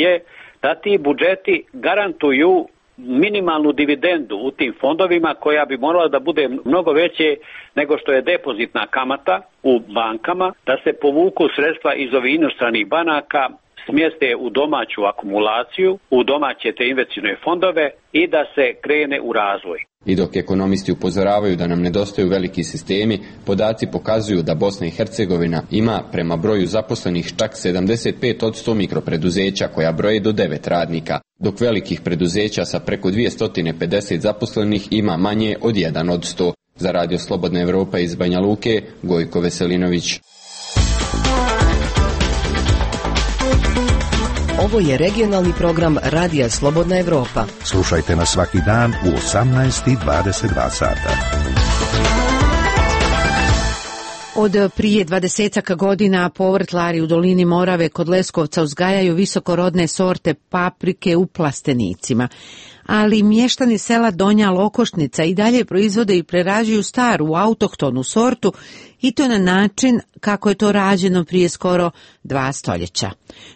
je da ti budžeti garantuju minimalnu dividendu u tim fondovima koja bi morala da bude mnogo veće nego što je depozitna kamata u bankama, da se povuku sredstva iz ovih inostranih banaka, smjeste u domaću akumulaciju, u domaće te investicione fondove i da se krene u razvoj. I dok ekonomisti upozoravaju da nam nedostaju veliki sistemi, podaci pokazuju da Bosna i Hercegovina ima prema broju zaposlenih čak sedamdeset pet posto mikropreduzeća koja broje do devet radnika, dok velikih preduzeća sa preko dvjesto pedeset zaposlenih ima manje od jedan od sto. Za Radio Slobodna Evropa iz Banja Luke, Gojko Veselinović. Ovo je regionalni program Radija Slobodna Evropa. Slušajte nas svaki dan u osamnaest i dvadeset dva sata. Od prije dvadesetak godina povrtlari u dolini Morave kod Leskovca uzgajaju visokorodne sorte paprike u plastenicima. Ali mještani sela Donja Lokošnica i dalje proizvode i prerađuju staru autohtonu sortu i to na način kako je to rađeno prije skoro dva stoljeća.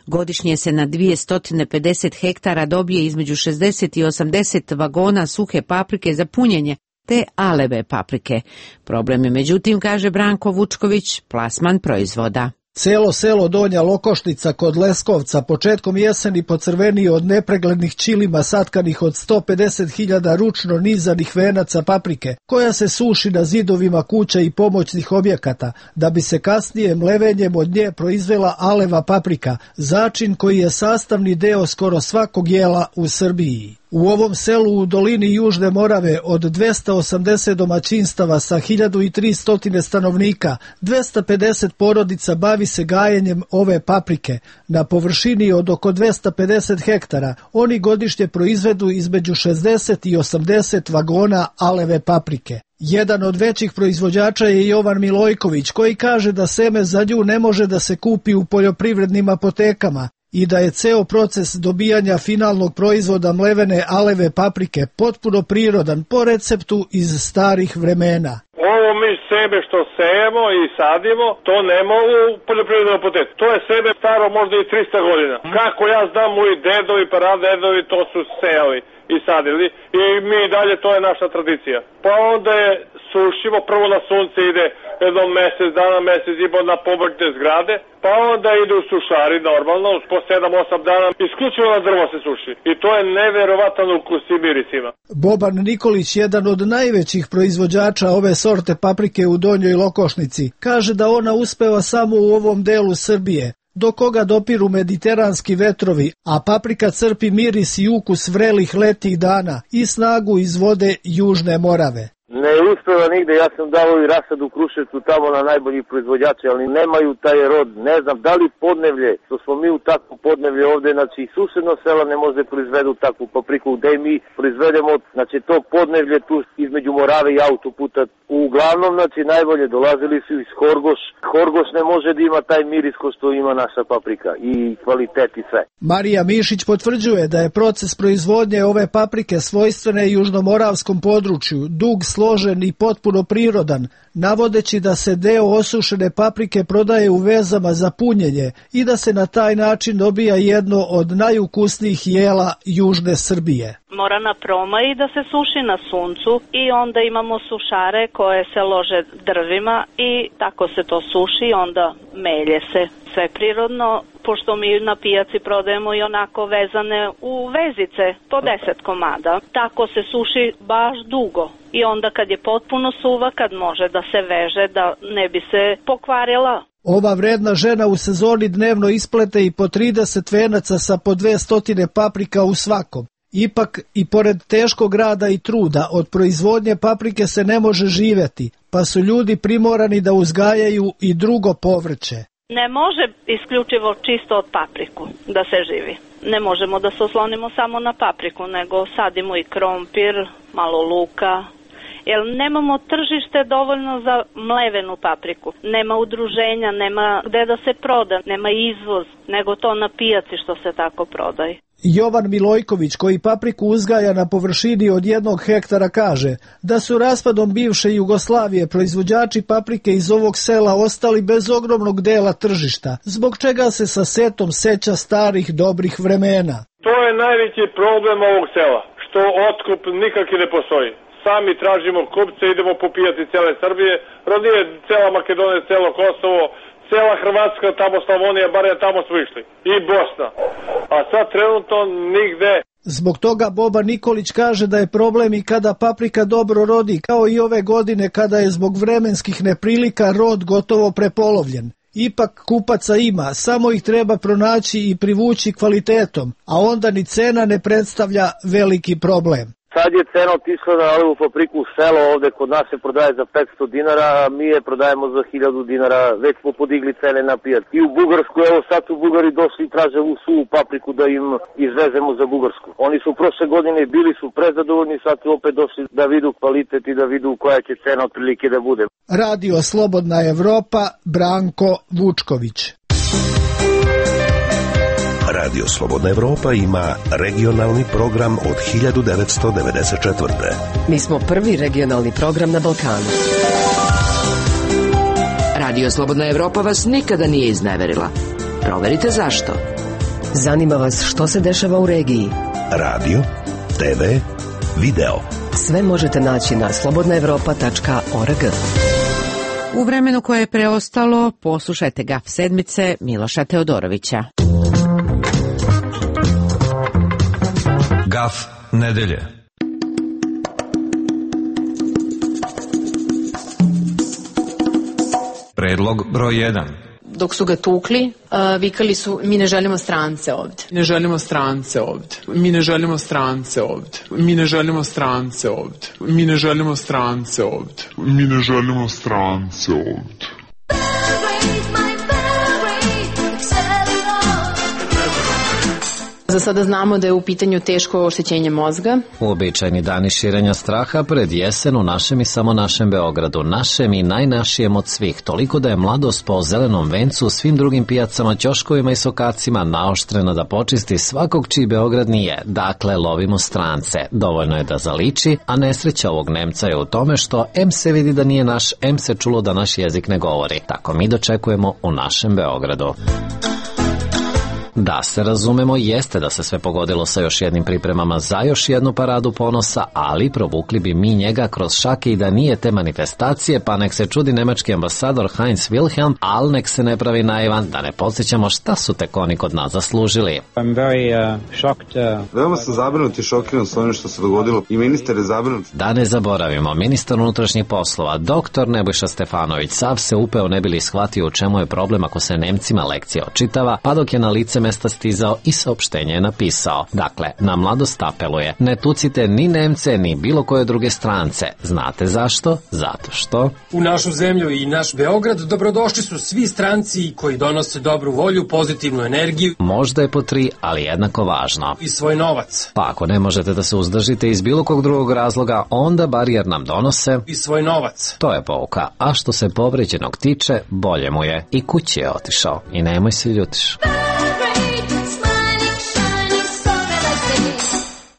Godišnje se na dvjesto pedeset hektara dobije između šezdeset i osamdeset vagona suhe paprike za punjenje te aleve paprike. Problem je, međutim, kaže Branko Vučković, plasman proizvoda. Celo selo Donja Lokošnica kod Leskovca početkom jeseni pocrvenio od nepreglednih ćilima satkanih od sto pedeset hiljada ručno nizanih venaca paprike, koja se suši na zidovima kuća i pomoćnih objekata, da bi se kasnije mlevenjem od nje proizvela aleva paprika, začin koji je sastavni deo skoro svakog jela u Srbiji. U ovom selu u dolini Južne Morave od dvjesto osamdeset domaćinstava sa hiljadu tristo stanovnika, dvjesto pedeset porodica bavi se gajenjem ove paprike. Na površini od oko dvjesto pedeset hektara oni godišnje proizvedu između šezdeset i osamdeset vagona aleve paprike. Jedan od većih proizvođača je Jovan Milojković, koji kaže da seme za nju ne može da se kupi u poljoprivrednim apotekama i da je ceo proces dobijanja finalnog proizvoda mlevene aleve paprike potpuno prirodan po receptu iz starih vremena. Ovo mi sebe što sejemo i sadimo, to ne mogu u poljoprivrednom apoteku. To je sebe staro možda i tristo godina. Kako ja znam, moji dedovi, pradedovi to su sejali i sadili i mi dalje, to je naša tradicija. Pa onda je sušimo, prvo na sunce ide jedno mjesec dana, mjesec i po na povrtne zgrade, pa onda idu sušari normalno, po sedam osam dana, isključivo na drvo se suši. I to je neverovatan ukus i miris ima. Boban Nikolić, jedan od najvećih proizvođača ove sorte paprike u Donjoj Lokošnici, kaže da ona uspeva samo u ovom delu Srbije, do koga dopiru mediteranski vetrovi, a paprika crpi miris i ukus vrelih letih dana i snagu iz vode Južne Morave. Ne uspeva nigde, ja sam dao i rasad u Kruševcu tamo na najbolji proizvođači, ali nemaju taj rod, ne znam, da li podnevlje, što smo mi u takvu podnevlje ovde, znači susedno sela ne može proizvedu takvu papriku, gde mi proizvedemo, znači to podnevlje tu između Morave i autoputa, uglavnom, znači najbolje dolazili su iz Horgoš, Horgoš ne može da ima taj miris ko što ima naša paprika i kvalitet i sve. Marija Mišić potvrđuje da je proces proizvodnje ove paprike svojstvene južnomoravskom području, dug, složen i potpuno prirodan, navodeći da se deo osušene paprike prodaje u vezama za punjenje i da se na taj način dobija jedno od najukusnijih jela Južne Srbije. Mora na proma i da se suši na suncu i onda imamo sušare koje se lože drvima i tako se to suši i onda melje se. Sve prirodno, pošto mi na pijaci prodajemo i onako vezane u vezice po deset komada. Tako se suši baš dugo i onda kad je potpuno suva, kad može da se veže, da ne bi se pokvarila. Ova vredna žena u sezoni dnevno isplete i po trideset venaca sa po dvjesto paprika u svakom. Ipak, i pored teškog rada i truda, od proizvodnje paprike se ne može živjeti, pa su ljudi primorani da uzgajaju i drugo povrće. Ne može isključivo čisto od papriku da se živi. Ne možemo da se oslonimo samo na papriku, nego sadimo i krompir, malo luka, jer nemamo tržište dovoljno za mlevenu papriku. Nema udruženja, nema gde da se proda, nema izvoz, nego to na pijaci što se tako prodaje. Jovan Milojković, koji papriku uzgaja na površini od jednog hektara, kaže da su raspadom bivše Jugoslavije proizvođači paprike iz ovog sela ostali bez ogromnog dela tržišta, zbog čega se sa setom seća starih dobrih vremena. To najveći problem ovog sela, što otkup nikak i ne postoji. Sami tražimo kupce, idemo popijati cele Srbije, rodije cela Makedonija, celo Kosovo, cela Hrvatska, tamo Slavonija, bar je tamo smo išli, i Bosna. A sad trenutno nigde. Zbog toga Boba Nikolić kaže da je problem i kada paprika dobro rodi, kao i ove godine kada je zbog vremenskih neprilika rod gotovo prepolovljen. Ipak kupaca ima, samo ih treba pronaći i privući kvalitetom, a onda ni cena ne predstavlja veliki problem. Sad je cena otišla na ovu fabriku u selo, ovde kod nas se prodaje za petsto dinara, a mi je prodajemo za hiljadu dinara, već smo podigli cene na pijac. I u Bugarsku, evo sad su Bugari došli i traže u suvu papriku da im izvezemo za Bugarsku. Oni su prošle godine bili su prezadovoljni, sad su opet došli da vidu kvalitet i da vidu koja će cena otprilike da bude. Radio Slobodna Evropa, Branko Vučković. Radio Slobodna Evropa ima regionalni program od hiljadu devetsto devedeset četvrte. Mi smo prvi regionalni program na Balkanu. Radio Slobodna Evropa vas nikada nije izneverila. Proverite zašto. Zanima vas što se dešava u regiji. Radio, te ve, video. Sve možete naći na slobodna evropa tačka org. U vremenu koje je preostalo, poslušajte Gaf sedmice Miloša Teodorovića. Gaf nedelje. Predlog broj jedan. Dok su ga tukli, uh, vikali su mi ne želimo strance ovde. Ne želimo strance ovde. Mi ne želimo strance ovde. Mi ne želimo strance ovde. Mi ne želimo strance ovde. Mi ne želimo strance ovde. Za sada znamo da je u pitanju teško oštećenje mozga. Uobičajeni dani širenja straha pred jesen u našem i samo našem Beogradu, našem i najnašijem od svih, toliko da je mladost po zelenom vencu u svim drugim pijacama, ćoškovima i sokacima naoštrena da počisti svakog čiji Beograd nije. Dakle, lovimo strance. Dovoljno je da zaliči, a nesreća ovog Nemca je u tome što em se vidi da nije naš, em se čulo da naš jezik ne govori. Tako mi dočekujemo u našem Beogradu. Da se razumemo, jeste da se sve pogodilo sa još jednim pripremama za još jednu paradu ponosa, ali provukli bi mi njega kroz šake i da nije te manifestacije, pa nek se čudi nemački ambasador Heinz Wilhelm, al nek se ne pravi naivan, da ne podsjećamo šta su tek oni kod nas zaslužili. I'm very, uh, shocked, uh... Veoma sam zabrinut i šokiran s onim što se dogodilo i ministar je zabrinut. Da ne zaboravimo, ministar unutrašnjih poslova, doktor Nebojša Stefanović, sav se upeo ne bili shvatio u čemu je problem ako se Nemcima lekcija očitava, pa dok je na lice mesta stizao i saopštenje je napisao. Dakle, na mladost apeluje, ne tucite ni Nemce, ni bilo koje druge strance. Znate zašto? Zato što... U našu zemlju i naš Beograd dobrodošli su svi stranci koji donose dobru volju, pozitivnu energiju. Možda je po tri, ali jednako važno. I svoj novac. Pa ako ne možete da se uzdržite iz bilo kog drugog razloga, onda bar jer nam donose... I svoj novac. To je pouka. A što se povređenog tiče, bolje mu je. I kući je otišao. I nemoj se ljutiš.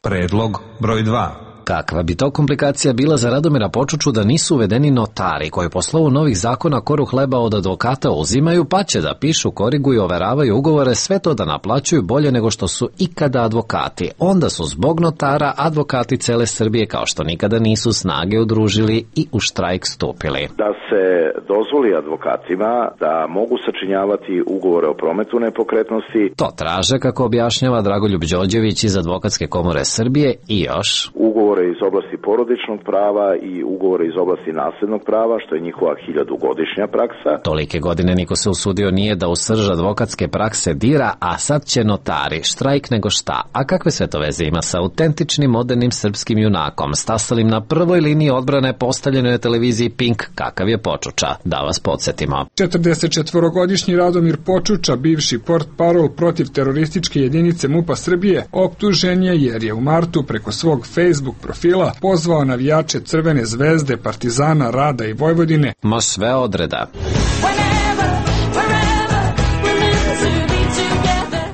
Predlog broj dva. Kakva bi to komplikacija bila za Radomira Počuču da nisu uvedeni notari koji po slovu novih zakona koru hleba od advokata uzimaju, pa će da pišu, koriguju, overavaju ugovore, sve to da naplaćuju bolje nego što su ikada advokati. Onda su zbog notara advokati cele Srbije kao što nikada nisu snage udružili i u štrajk stupili. Da se dozvoli advokatima da mogu sačinjavati ugovore o prometu nepokretnosti. To traže, kako objašnjava Dragoljub Đorđević iz Advokatske komore Srbije, i još ugovore iz oblasti porodičnog prava i ugovore iz oblasti naslednog prava, što je njihova hiljadugodišnja praksa. Tolike godine niko se usudio nije da u srž advokatske prakse dira, a sad će notari, štrajk nego šta. A kakve sve to veze ima sa autentičnim modernim srpskim junakom, stasalim na prvoj liniji odbrane postavljenoj na televiziji Pink, kakav je Počuča? Da vas podsjetimo. četrdesetčetvorogodišnji Radomir Počuča, bivši portparol protiv terorističke jedinice MUP-a Srbije, optužen je jer je u martu preko svog Facebook profila pozvao navijače Crvene zvezde, Partizana, Rada i Vojvodine ma sve odreda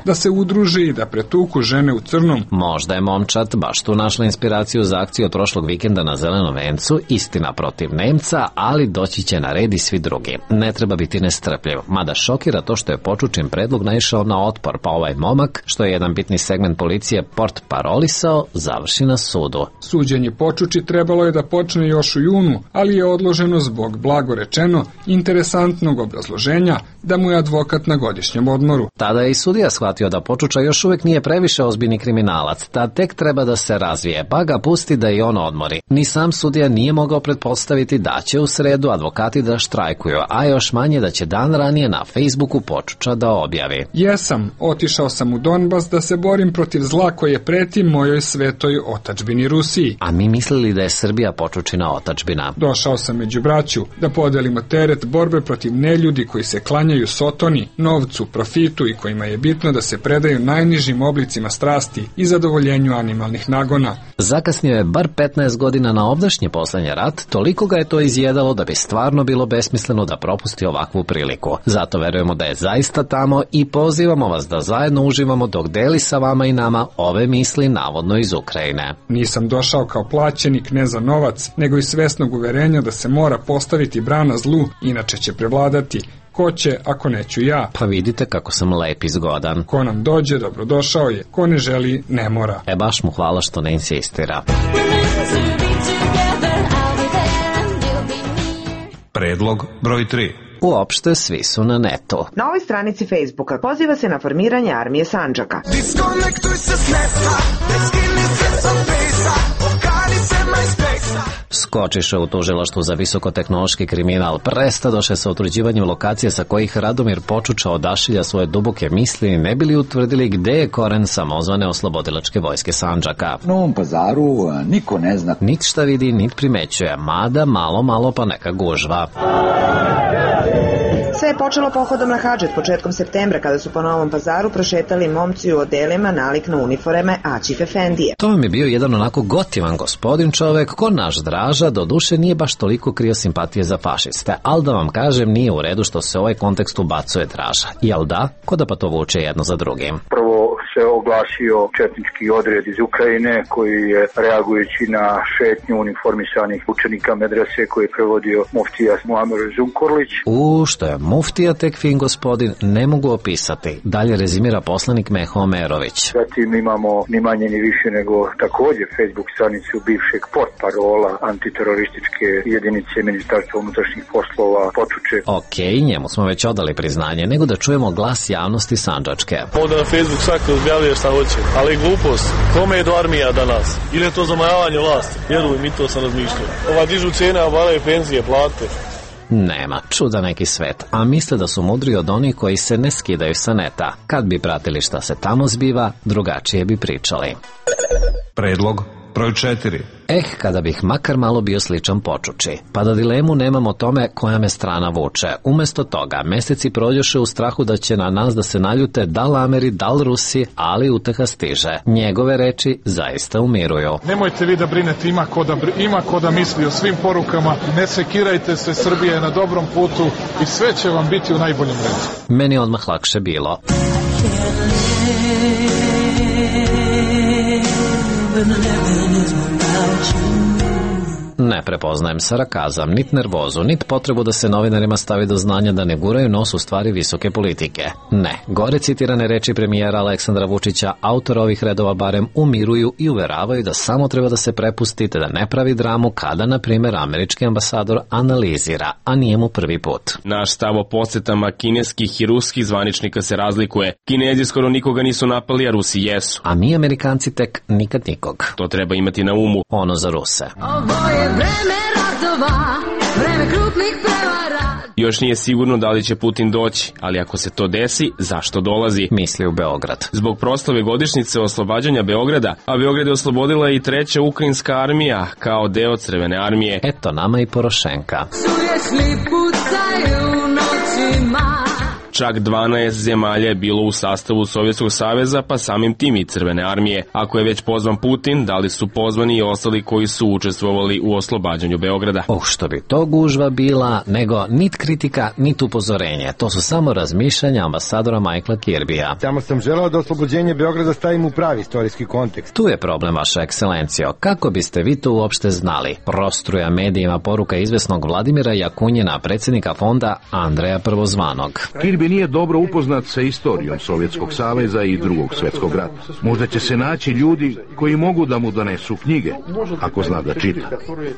da se udruži i da pretuku žene u crnom. Možda je momčad baš tu našla inspiraciju za akciju od prošlog vikenda na Zelenom vencu, istina protiv Nemca, ali doći će na red i svi drugi. Ne treba biti nestrpljiv, mada šokira to što je Počučin predlog naišao na otpor, pa ovaj momak, što je jedan bitni segment policije port parolisao, završi na sudu. Suđenje Počuči trebalo je da počne još u junu, ali je odloženo zbog, blago rečeno, interesantnog obrazloženja da mu je advokat na godišnjem odmoru. Tada je i sudija shvatio da Počuča još uvijek nije previše ozbiljni kriminalac, da tek treba da se razvije, pa ga pusti da i on odmori. Ni sam sudija nije mogao pretpostaviti da će u sredu advokati da štrajkuju, a još manje da će dan ranije na Facebooku Počuča da objavi. Jesam, otišao sam u Donbas da se borim protiv zla koje preti mojoj svetoj otadžbini Rusiji. A mi mislili da je Srbija Počučina otadžbina. Došao sam među braću da podelimo teret borbe protiv neljudi koji se klanjaju sotoni, novcu, profitu i kojima je bitno da se predaju najnižim oblicima strasti i zadovoljenju animalnih nagona. Zakasnio je bar petnaest godina na ovdašnji poslednji rat, toliko ga je to izjedalo da bi stvarno bilo besmisleno da propusti ovakvu priliku. Zato verujemo da je zaista tamo i pozivamo vas da zajedno uživamo dok deli sa vama i nama ove misli navodno iz Ukrajine. Nisam došao kao plaćenik ne za novac, nego iz svesnog uverenja da se mora postaviti brana zlu, inače će prevladati. Ko će, ako neću ja? Pa vidite kako sam lep i zgodan. Ko nam dođe, dobrodošao je. Ko ne želi, ne mora. E baš mu hvala što ne insistira. Predlog broj tri. Uopšte svi su na netu. Na ovoj stranici Facebooka poziva se na formiranje armije Sandžaka. Diskonektuj se s neta, ne skini se sa fejsa, okani se MySpace-a. Skočiše u tužilaštvu za visokotehnološki kriminal, prestadoše sa utvrđivanjem lokacije sa kojih Radomir Počuča odašilja svoje duboke misli, ne bili utvrdili gde je koren samozvane oslobodilačke vojske Sandžaka. U Novom Pazaru niko ne zna. Nit šta vidi, nit primećuje, mada malo malo pa neka gužva. Sve je počelo pohodom na Hadžet početkom septembra kada su po Novom Pazaru prošetali momci u odelima nalik na uniforme Aćif Efendije. To mi je bio jedan onako gotivan gospodin čovek, ko naš Draža, do duše nije baš toliko krio simpatije za fašiste, ali da vam kažem nije u redu što se u ovaj kontekst ubacuje Draža. Jel da? Ko da pa to vuče jedno za drugim? Prvo se oglasio četnički odred iz Ukrajine koji je reagujući na šetnju uniformisanih učenika medrese koji je prevodio muftija Muamer Zunkorlić. U, što je muftija tek fin gospodin, ne mogu opisati. Dalje rezimira poslanik Meho Omerović. Zatim imamo ni manje ni više nego također Facebook stranicu bivšeg portparola antiterorističke jedinice Ministarstva unutrašnjih poslova Počuče. Okej, okay, njemu smo već odali priznanje, nego da čujemo glas javnosti Sandžačke. Ovdje na Facebook svako objavljuje šta hoće, ali glupost, kome je do armija danas? Ili je to zamajavanje vlasti? Vjeruj mi, to sam razmišljao. Ova dižu cijene, a varaju penzije, plate. Nema, čuda neki svet, a misle da su mudri od onih koji se ne skidaju sa neta. Kad bi pratili šta se tamo zbiva, drugačije bi pričali. Predlog broj četiri. Eh, kada bih makar malo bio sličan Počuči, pa da dilemu nemam o tome koja me strana vuče. Umesto toga, meseci prođoše u strahu da će na nas da se naljute dal Ameri, dal Rusi, ali uteha stiže. Njegove reči zaista umiruju. Nemojte vi da brinete, ima ko da, ima ko da misli o svim porukama, ne sekirajte se, Srbija je na dobrom putu i sve će vam biti u najboljem redu. Meni je odmah lakše bilo. Ne prepoznajem sarakazam, nit nervozu, nit potrebu da se novinarima stavi do znanja da ne guraju nos u stvari visoke politike. Ne, gore citirane reči premijera Aleksandra Vučića, autor ovih redova barem umiruju i uveravaju da samo treba da se prepustite da ne pravi dramu kada, na primjer, američki ambasador analizira, a nije mu prvi put. Naš stav o posetama kineskih i ruskih zvaničnika se razlikuje. Kinezi skoro nikoga nisu napali, a Rusi jesu. A mi Amerikanci tek nikad nikog. To treba imati na umu. Ono za Ruse. Ovo je vreme ratova, vreme krupnih prevara. Još nije sigurno da li će Putin doći, ali ako se to desi, zašto dolazi? Misli u Beograd. Zbog proslave godišnjice oslobađanja Beograda, a Beograd je oslobodila i treća ukrajinska armija kao deo Crvene armije. Eto nama i Porošenka. Sujesli pucaju noćima. Čak dvanaest zemalja je bilo u sastavu Sovjetskog saveza, pa samim tim i Crvene armije. Ako je već pozvan Putin, da li su pozvani i ostali koji su učestvovali u oslobađanju Beograda? Oh, što bi to gužva bila, nego nit kritika, nit upozorenje. To su samo razmišljanja ambasadora Michaela Kirbija. Samo sam želeo da oslobođenje Beograda stavim u pravi istorijski kontekst. Tu je problem, vaša ekscelencijo. Kako biste vi to uopšte znali? Prostruja medijima poruka izvesnog Vladimira Jakunjina, predsjednika fonda Andreja Prvozvanog. Kirbi nije dobro upoznat sa istorijom Sovjetskog saveza i drugog svjetskog rata. Možda će se naći ljudi koji mogu da mu donesu knjige, ako zna da čita.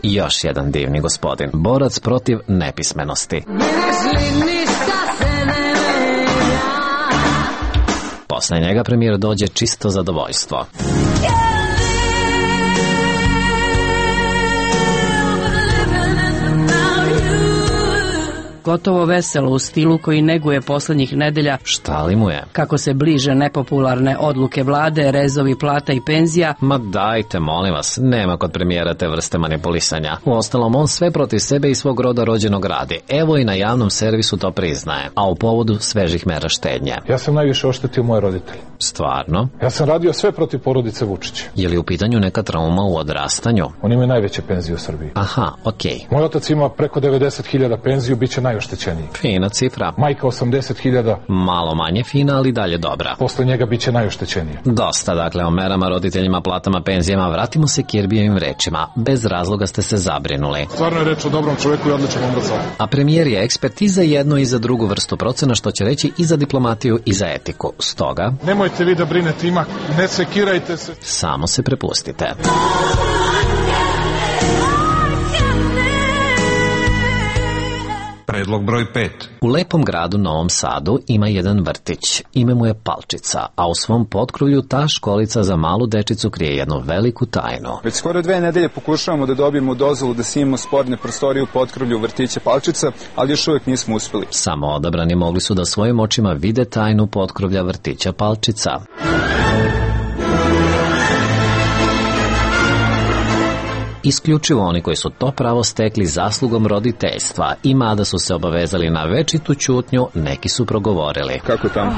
Još jedan divni gospodin, borac protiv nepismenosti. Posle njega premijer dođe čisto zadovoljstvo. Gotovo veselo u stilu koji neguje poslednjih nedelja. Šta li mu je? Kako se bliže nepopularne odluke vlade, rezovi plata i penzija. Ma dajte, molim vas, nema kod premijera te vrste manipulisanja. Uostalom, on sve protiv sebe i svog roda rođenog radi. Evo i na javnom servisu to priznaje, a u povodu svežih mera štednje. Ja sam najviše oštetio moje roditelje. Stvarno? Ja sam radio sve protiv porodice Vučića. Je li u pitanju neka trauma u odrastanju? Oni imaju najveće penzije u Srbiji. Aha, okej. Okay. Moj otac ima preko devedeset hiljada penziju, bit će najoštećeniji. Fina cifra. Majka osamdeset hiljada. Malo manje fina, ali dalje dobra. Posle njega bit će najoštećeniji. Dosta, dakle, o merama, roditeljima, platama, penzijama. Vratimo se Kirbijevim rečima. Bez razloga ste se zabrinuli. Stvarno je reč o dobrom čoveku i odličnom ambasadoru. A premijer je ekspert i za jednu i za drugu vrstu procena, što će reći i za diplomatiju i za etiku. Stoga... Nemojte vi da brinete, ima, ne sekirajte se. Samo se prepustite. Predlog broj pet. U lepom gradu Novom Sadu ima jedan vrtić. Ime mu je Palčica, a u svom potkrovlju ta školica za malu dečicu krije jednu veliku tajnu. Već skoro dve nedelje pokušavamo da dobijemo dozvolu da snimimo sporne prostorije u potkrovlju vrtića Palčica, ali još uvijek nismo uspeli. Samo odabrani mogli su da svojim očima vide tajnu potkrovlja vrtića Palčica. Isključivo oni koji su to pravo stekli zaslugom roditeljstva i mada su se obavezali na večitu ćutnju, neki su progovorili. Kako je tamo?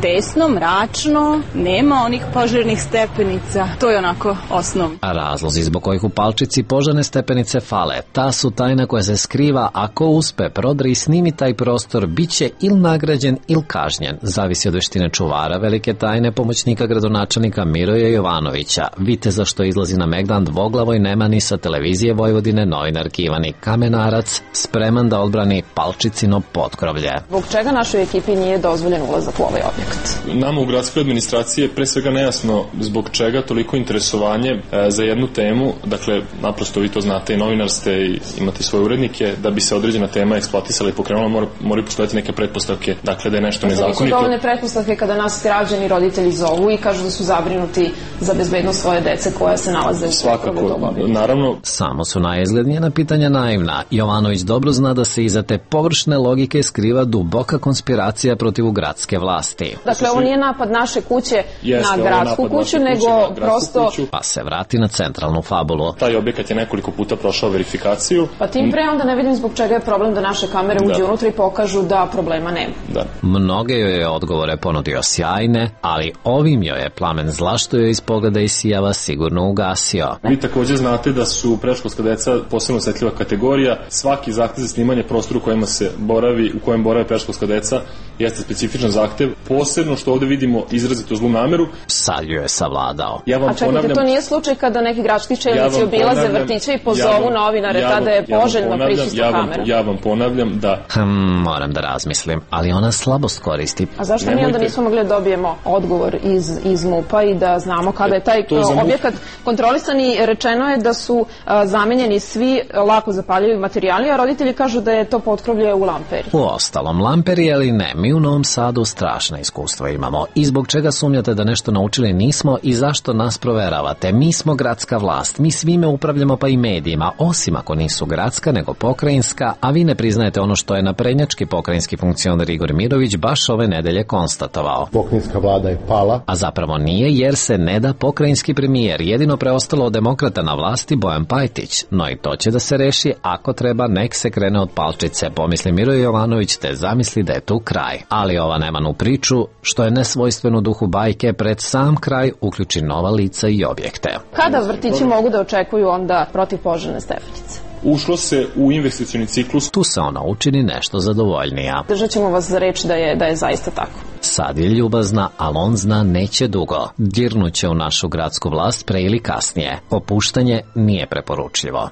Tesno, mračno, nema onih požarnih stepenica, to je onako osnovno. A razlozi zbog kojih u Palčici požarne stepenice fale, ta su tajna koja se skriva, ako uspe prodri i snimi taj prostor, bit će il nagrađen il kažnjen. Zavisi od veštine čuvara velike tajne, pomoćnika gradonačelnika Miroja Jovanovića, viteza što izlazi na megdan dvoglavo i nema ni sa televizije Vojvodine, novinarki Ivani Kamenarac, spreman da odbrani Palčicino potkrovlje. Zbog čega našoj ekipi nije dozvoljen ulazak u ovaj objekt? Nama u gradskoj administraciji je pre svega nejasno zbog čega toliko interesovanje e, za jednu temu, dakle, naprosto vi to znate i novinar ste i imate svoje urednike, da bi se određena tema eksploatisala i pokrenula, mora, moraju postojati neke pretpostavke, dakle da je nešto nezakonito. Nisu dovoljne pretpostavke kada nas građani, roditelji zovu i kažu da su zabrinuti za bezbednost svoje dece koja se nalaze u svakako, naravno. Samo su najizglednijena pitanja naivna. Jovanović dobro zna da se iza te površne logike skriva duboka konspiracija protiv gradske vlasti. Dakle, ovo nije napad naše kuće Jeste, na gradsku kuću, nego prosto... Kuću. Pa se vrati na centralnu fabulu. Taj objekat je nekoliko puta prošao verifikaciju. Pa tim pre onda ne vidim zbog čega je problem da naše kamere uđu unutra i pokažu da problema nema. Da. Mnoge joj je odgovore ponudio sjajne, ali ovim joj je plamen zla što joj iz pogleda isijava sigurno ugasio. Vi također znate da su predškolska deca posebno osjetljiva kategorija. Svaki zahtev za snimanje prostora u kojima se boravi, u kojem borave predškolska deca jeste specifičan zahtev. Posebno što ovdje vidimo izrazito zlu nameru. Sad ju je savladao. Ja vam A čekajte, ponavljam, to nije slučaj kada neki gradski čelnici ja obilaze vrtiće i pozovu ja vam, novinare, ja vam, tada je poželjno ja prisustvo ja vam, kamera. Ja vam ponavljam da... Hmm, moram da razmislim, ali ona slabost koristi. A zašto Nemojte... mi onda nismo mogli da dobijemo odgovor iz, iz MUP-a i da znamo kada je taj objekat kontrolisan i rečeno je da su a, zamenjeni svi lako zapaljivi materijali, a roditelji kažu da je to potkrovlje u lamperi. U ostalom, lamperi ali ne, mi u Novom Sadu strašna iskustva imamo. I zbog čega sumnjate da nešto naučili nismo i zašto nas proveravate? Mi smo gradska vlast, mi svime upravljamo pa i medijima, osim ako nisu gradska nego pokrajinska, a vi ne priznajete ono što je naprednjački pokrajinski funkcioner Igor Mirović baš ove nedelje konstatovao. Pokrajinska vlada je pala. A zapravo nije, jer se ne da pokrajinski premijer, jedino preostalo od demokrata na vlasti, vlasti Bojan Pajtić, no i to će da se reši, ako treba nek se krene od palčice, pomisli Miro Jovanović te zamisli da je tu kraj. Ali ova Nemanu priču, što je nesvojstveno duhu bajke, pred sam kraj uključi nova lica i objekte. Kada vrtići mogu da očekuju onda protivpožarne stepenice? Ušlo se u investicioni ciklus. Tu se ona učini nešto zadovoljnija. Držat ćemo vas za reč da je, da je zaista tako. Sad je ljubazna, ali on zna neće dugo. Dirnuće u našu gradsku vlast pre ili kasnije. Popuštanje nije preporučljivo.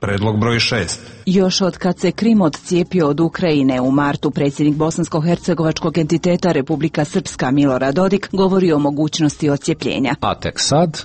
Predlog broj šest. Još od kad se Krim odcijepio od Ukrajine u martu, predsjednik bosansko-hercegovačkog entiteta Republika Srpska Milorad Dodik govori o mogućnosti odcijepljenja. A tek sad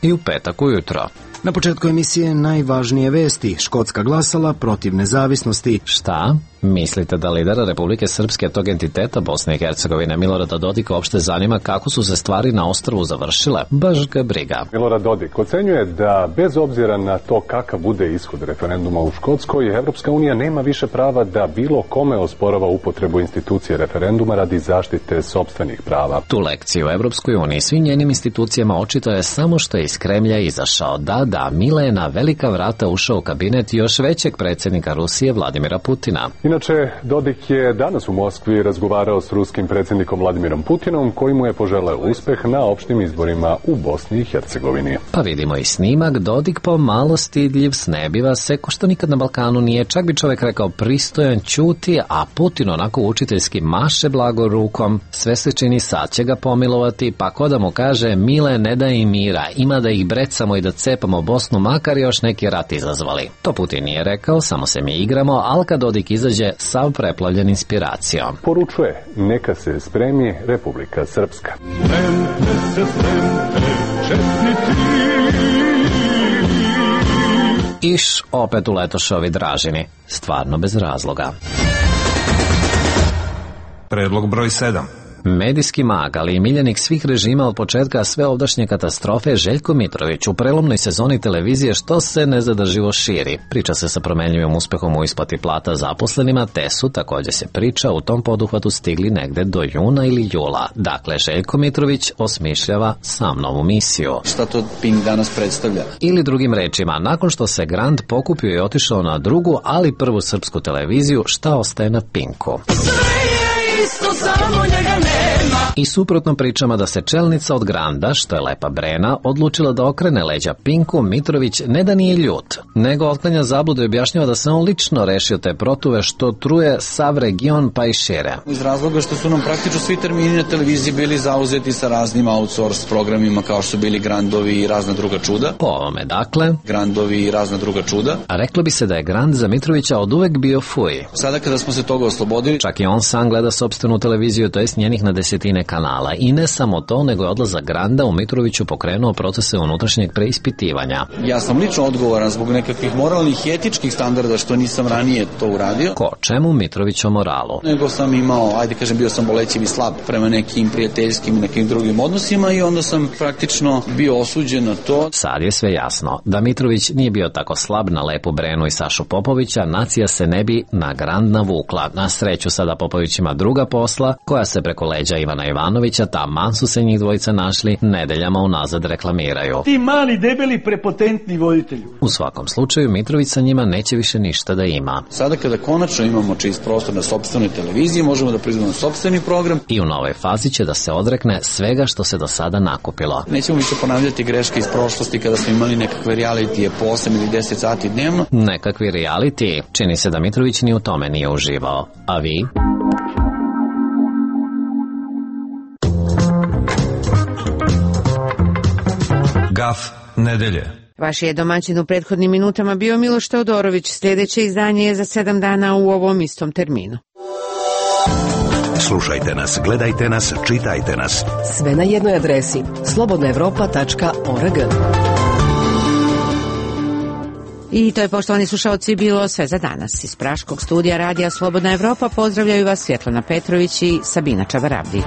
i u petak ujutro. Na početku emisije najvažnije vesti. Škotska glasala protiv nezavisnosti. Šta? Mislite da lidera Republike Srpske tog entiteta Bosne i Hercegovine Milorada Dodika uopšte zanima kako su se stvari na ostrvu završile? Baš ga briga. Milorad Dodik ocenjuje da bez obzira na to kakav bude ishod referenduma u Škotskoj, Evropska unija nema više prava da bilo kome osporava upotrebu institucije referenduma radi zaštite sopstvenih prava. Tu lekciju u Evropskoj uniji svim njenim institucijama očito je samo što je iz Kremlja izašao. Da, da, Mile je na velika vrata ušao u kabinet još većeg predsjednika Rusije Vladimira Putina. Inače, Dodik je danas u Moskvi razgovarao s ruskim predsjednikom Vladimirom Putinom, koji mu je poželeo uspeh na opštim izborima u Bosni i Hercegovini. Pa vidimo i snimak, Dodik pomalo stidljiv, snebiva se, ko što nikad na Balkanu nije, čak bi čovjek rekao pristojan, ćuti, a Putin onako učiteljski maše blago rukom, sve se čini sad će ga pomilovati, pa ko da mu kaže Mile ne daj im mira, ima da ih brecamo i da cepamo Bosnu, makar još neki rat izazvali. To Putin nije rekao, samo se mi igramo, ali kad Dodik izađe sav preplavljen inspiracijom. Poručuje, neka se spremi Republika Srpska. Spremte se, spremte, čestiti. Iš, opet uletoše ovi Dražini. Stvarno bez razloga. Predlog broj sedam. Medijski mag, ali i miljenik svih režima od početka sve ovdašnje katastrofe, Željko Mitrović u prelomnoj sezoni televizije što se nezadrživo širi. Priča se sa promenljivim uspehom u isplati plata zaposlenima, te su, također se priča, u tom poduhvatu stigli negde do juna ili jula. Dakle, Željko Mitrović osmišljava sam novu misiju. Šta to Pink danas predstavlja? Ili drugim rečima, nakon što se Grand pokupio i otišao na drugu, ali prvu srpsku televiziju, šta ostaje na Pinku? Isto, samo njega nema. I suprotno pričama da se čelnica od Granda, što je Lepa Brena, odlučila da okrene leđa Pinku, Mitrović ne da nije ljut, nego otklanja zabludu i objašnjava da se on lično rešio te protuve što truje sav region pa i šire. Iz razloga što su nam praktično svi termini na televiziji bili zauzeti sa raznim outsource programima kao što su bili Grandovi i razna druga čuda. Po ovome dakle, Grandovi i razna druga čuda. A reklo bi se da je Grand za Mitrovića od uvek bio fuj. Sada kada smo se toga oslobodili, čak i on sam gleda sopstvenu televiziju, to jest njenih na desetine kanala. I ne samo to, nego je odlazak Granda u Mitroviću pokrenuo procese unutrašnjeg preispitivanja. Ja sam lično odgovoran zbog nekakvih moralnih i etičkih standarda što nisam ranije to uradio. Ko čemu Mitrović o moralu? Nego sam imao, ajde kažem, bio sam bolećiv i slab prema nekim prijateljskim i nekim drugim odnosima i onda sam praktično bio osuđen na to. Sad je sve jasno. Da Mitrović nije bio tako slab na Lepu Brenu i Sašu Popovića, nacija se ne bi na Grand navukla. Na sreću sada Popović ima druga posla, koja se preko leđa Ivana Ivanovića, taman su se njih dvojica našli, nedeljama unazad reklamiraju. Ti mali, debeli, prepotentni voditelju. U svakom slučaju, Mitrović sa njima neće više ništa da ima. Sada kada konačno imamo čist prostor na sopstvenoj televiziji, možemo da priznamo sopstveni program. I u novoj fazi će da se odrekne svega što se do sada nakupilo. Nećemo više ponavljati greške iz prošlosti kada smo imali nekakve realitije po osam ili deset sati dnevno. Nekakvi reality. Čini se da Mitrović ni u tome nije uživao. A vi? Gaf nedelje. Vaš je domaćin u prethodnim minutama bio Miloš Teodorović. Sljedeće izdanje je za sedam dana u ovom istom terminu. Slušajte nas, gledajte nas, čitajte nas. Sve na jednoj adresi slobodna evropa tačka org. I to je, poštovani slušalci, bilo sve za danas. Iz Praškog studija Radija Slobodna Evropa pozdravljaju vas Svjetlana Petrović i Sabina Čavarabdić.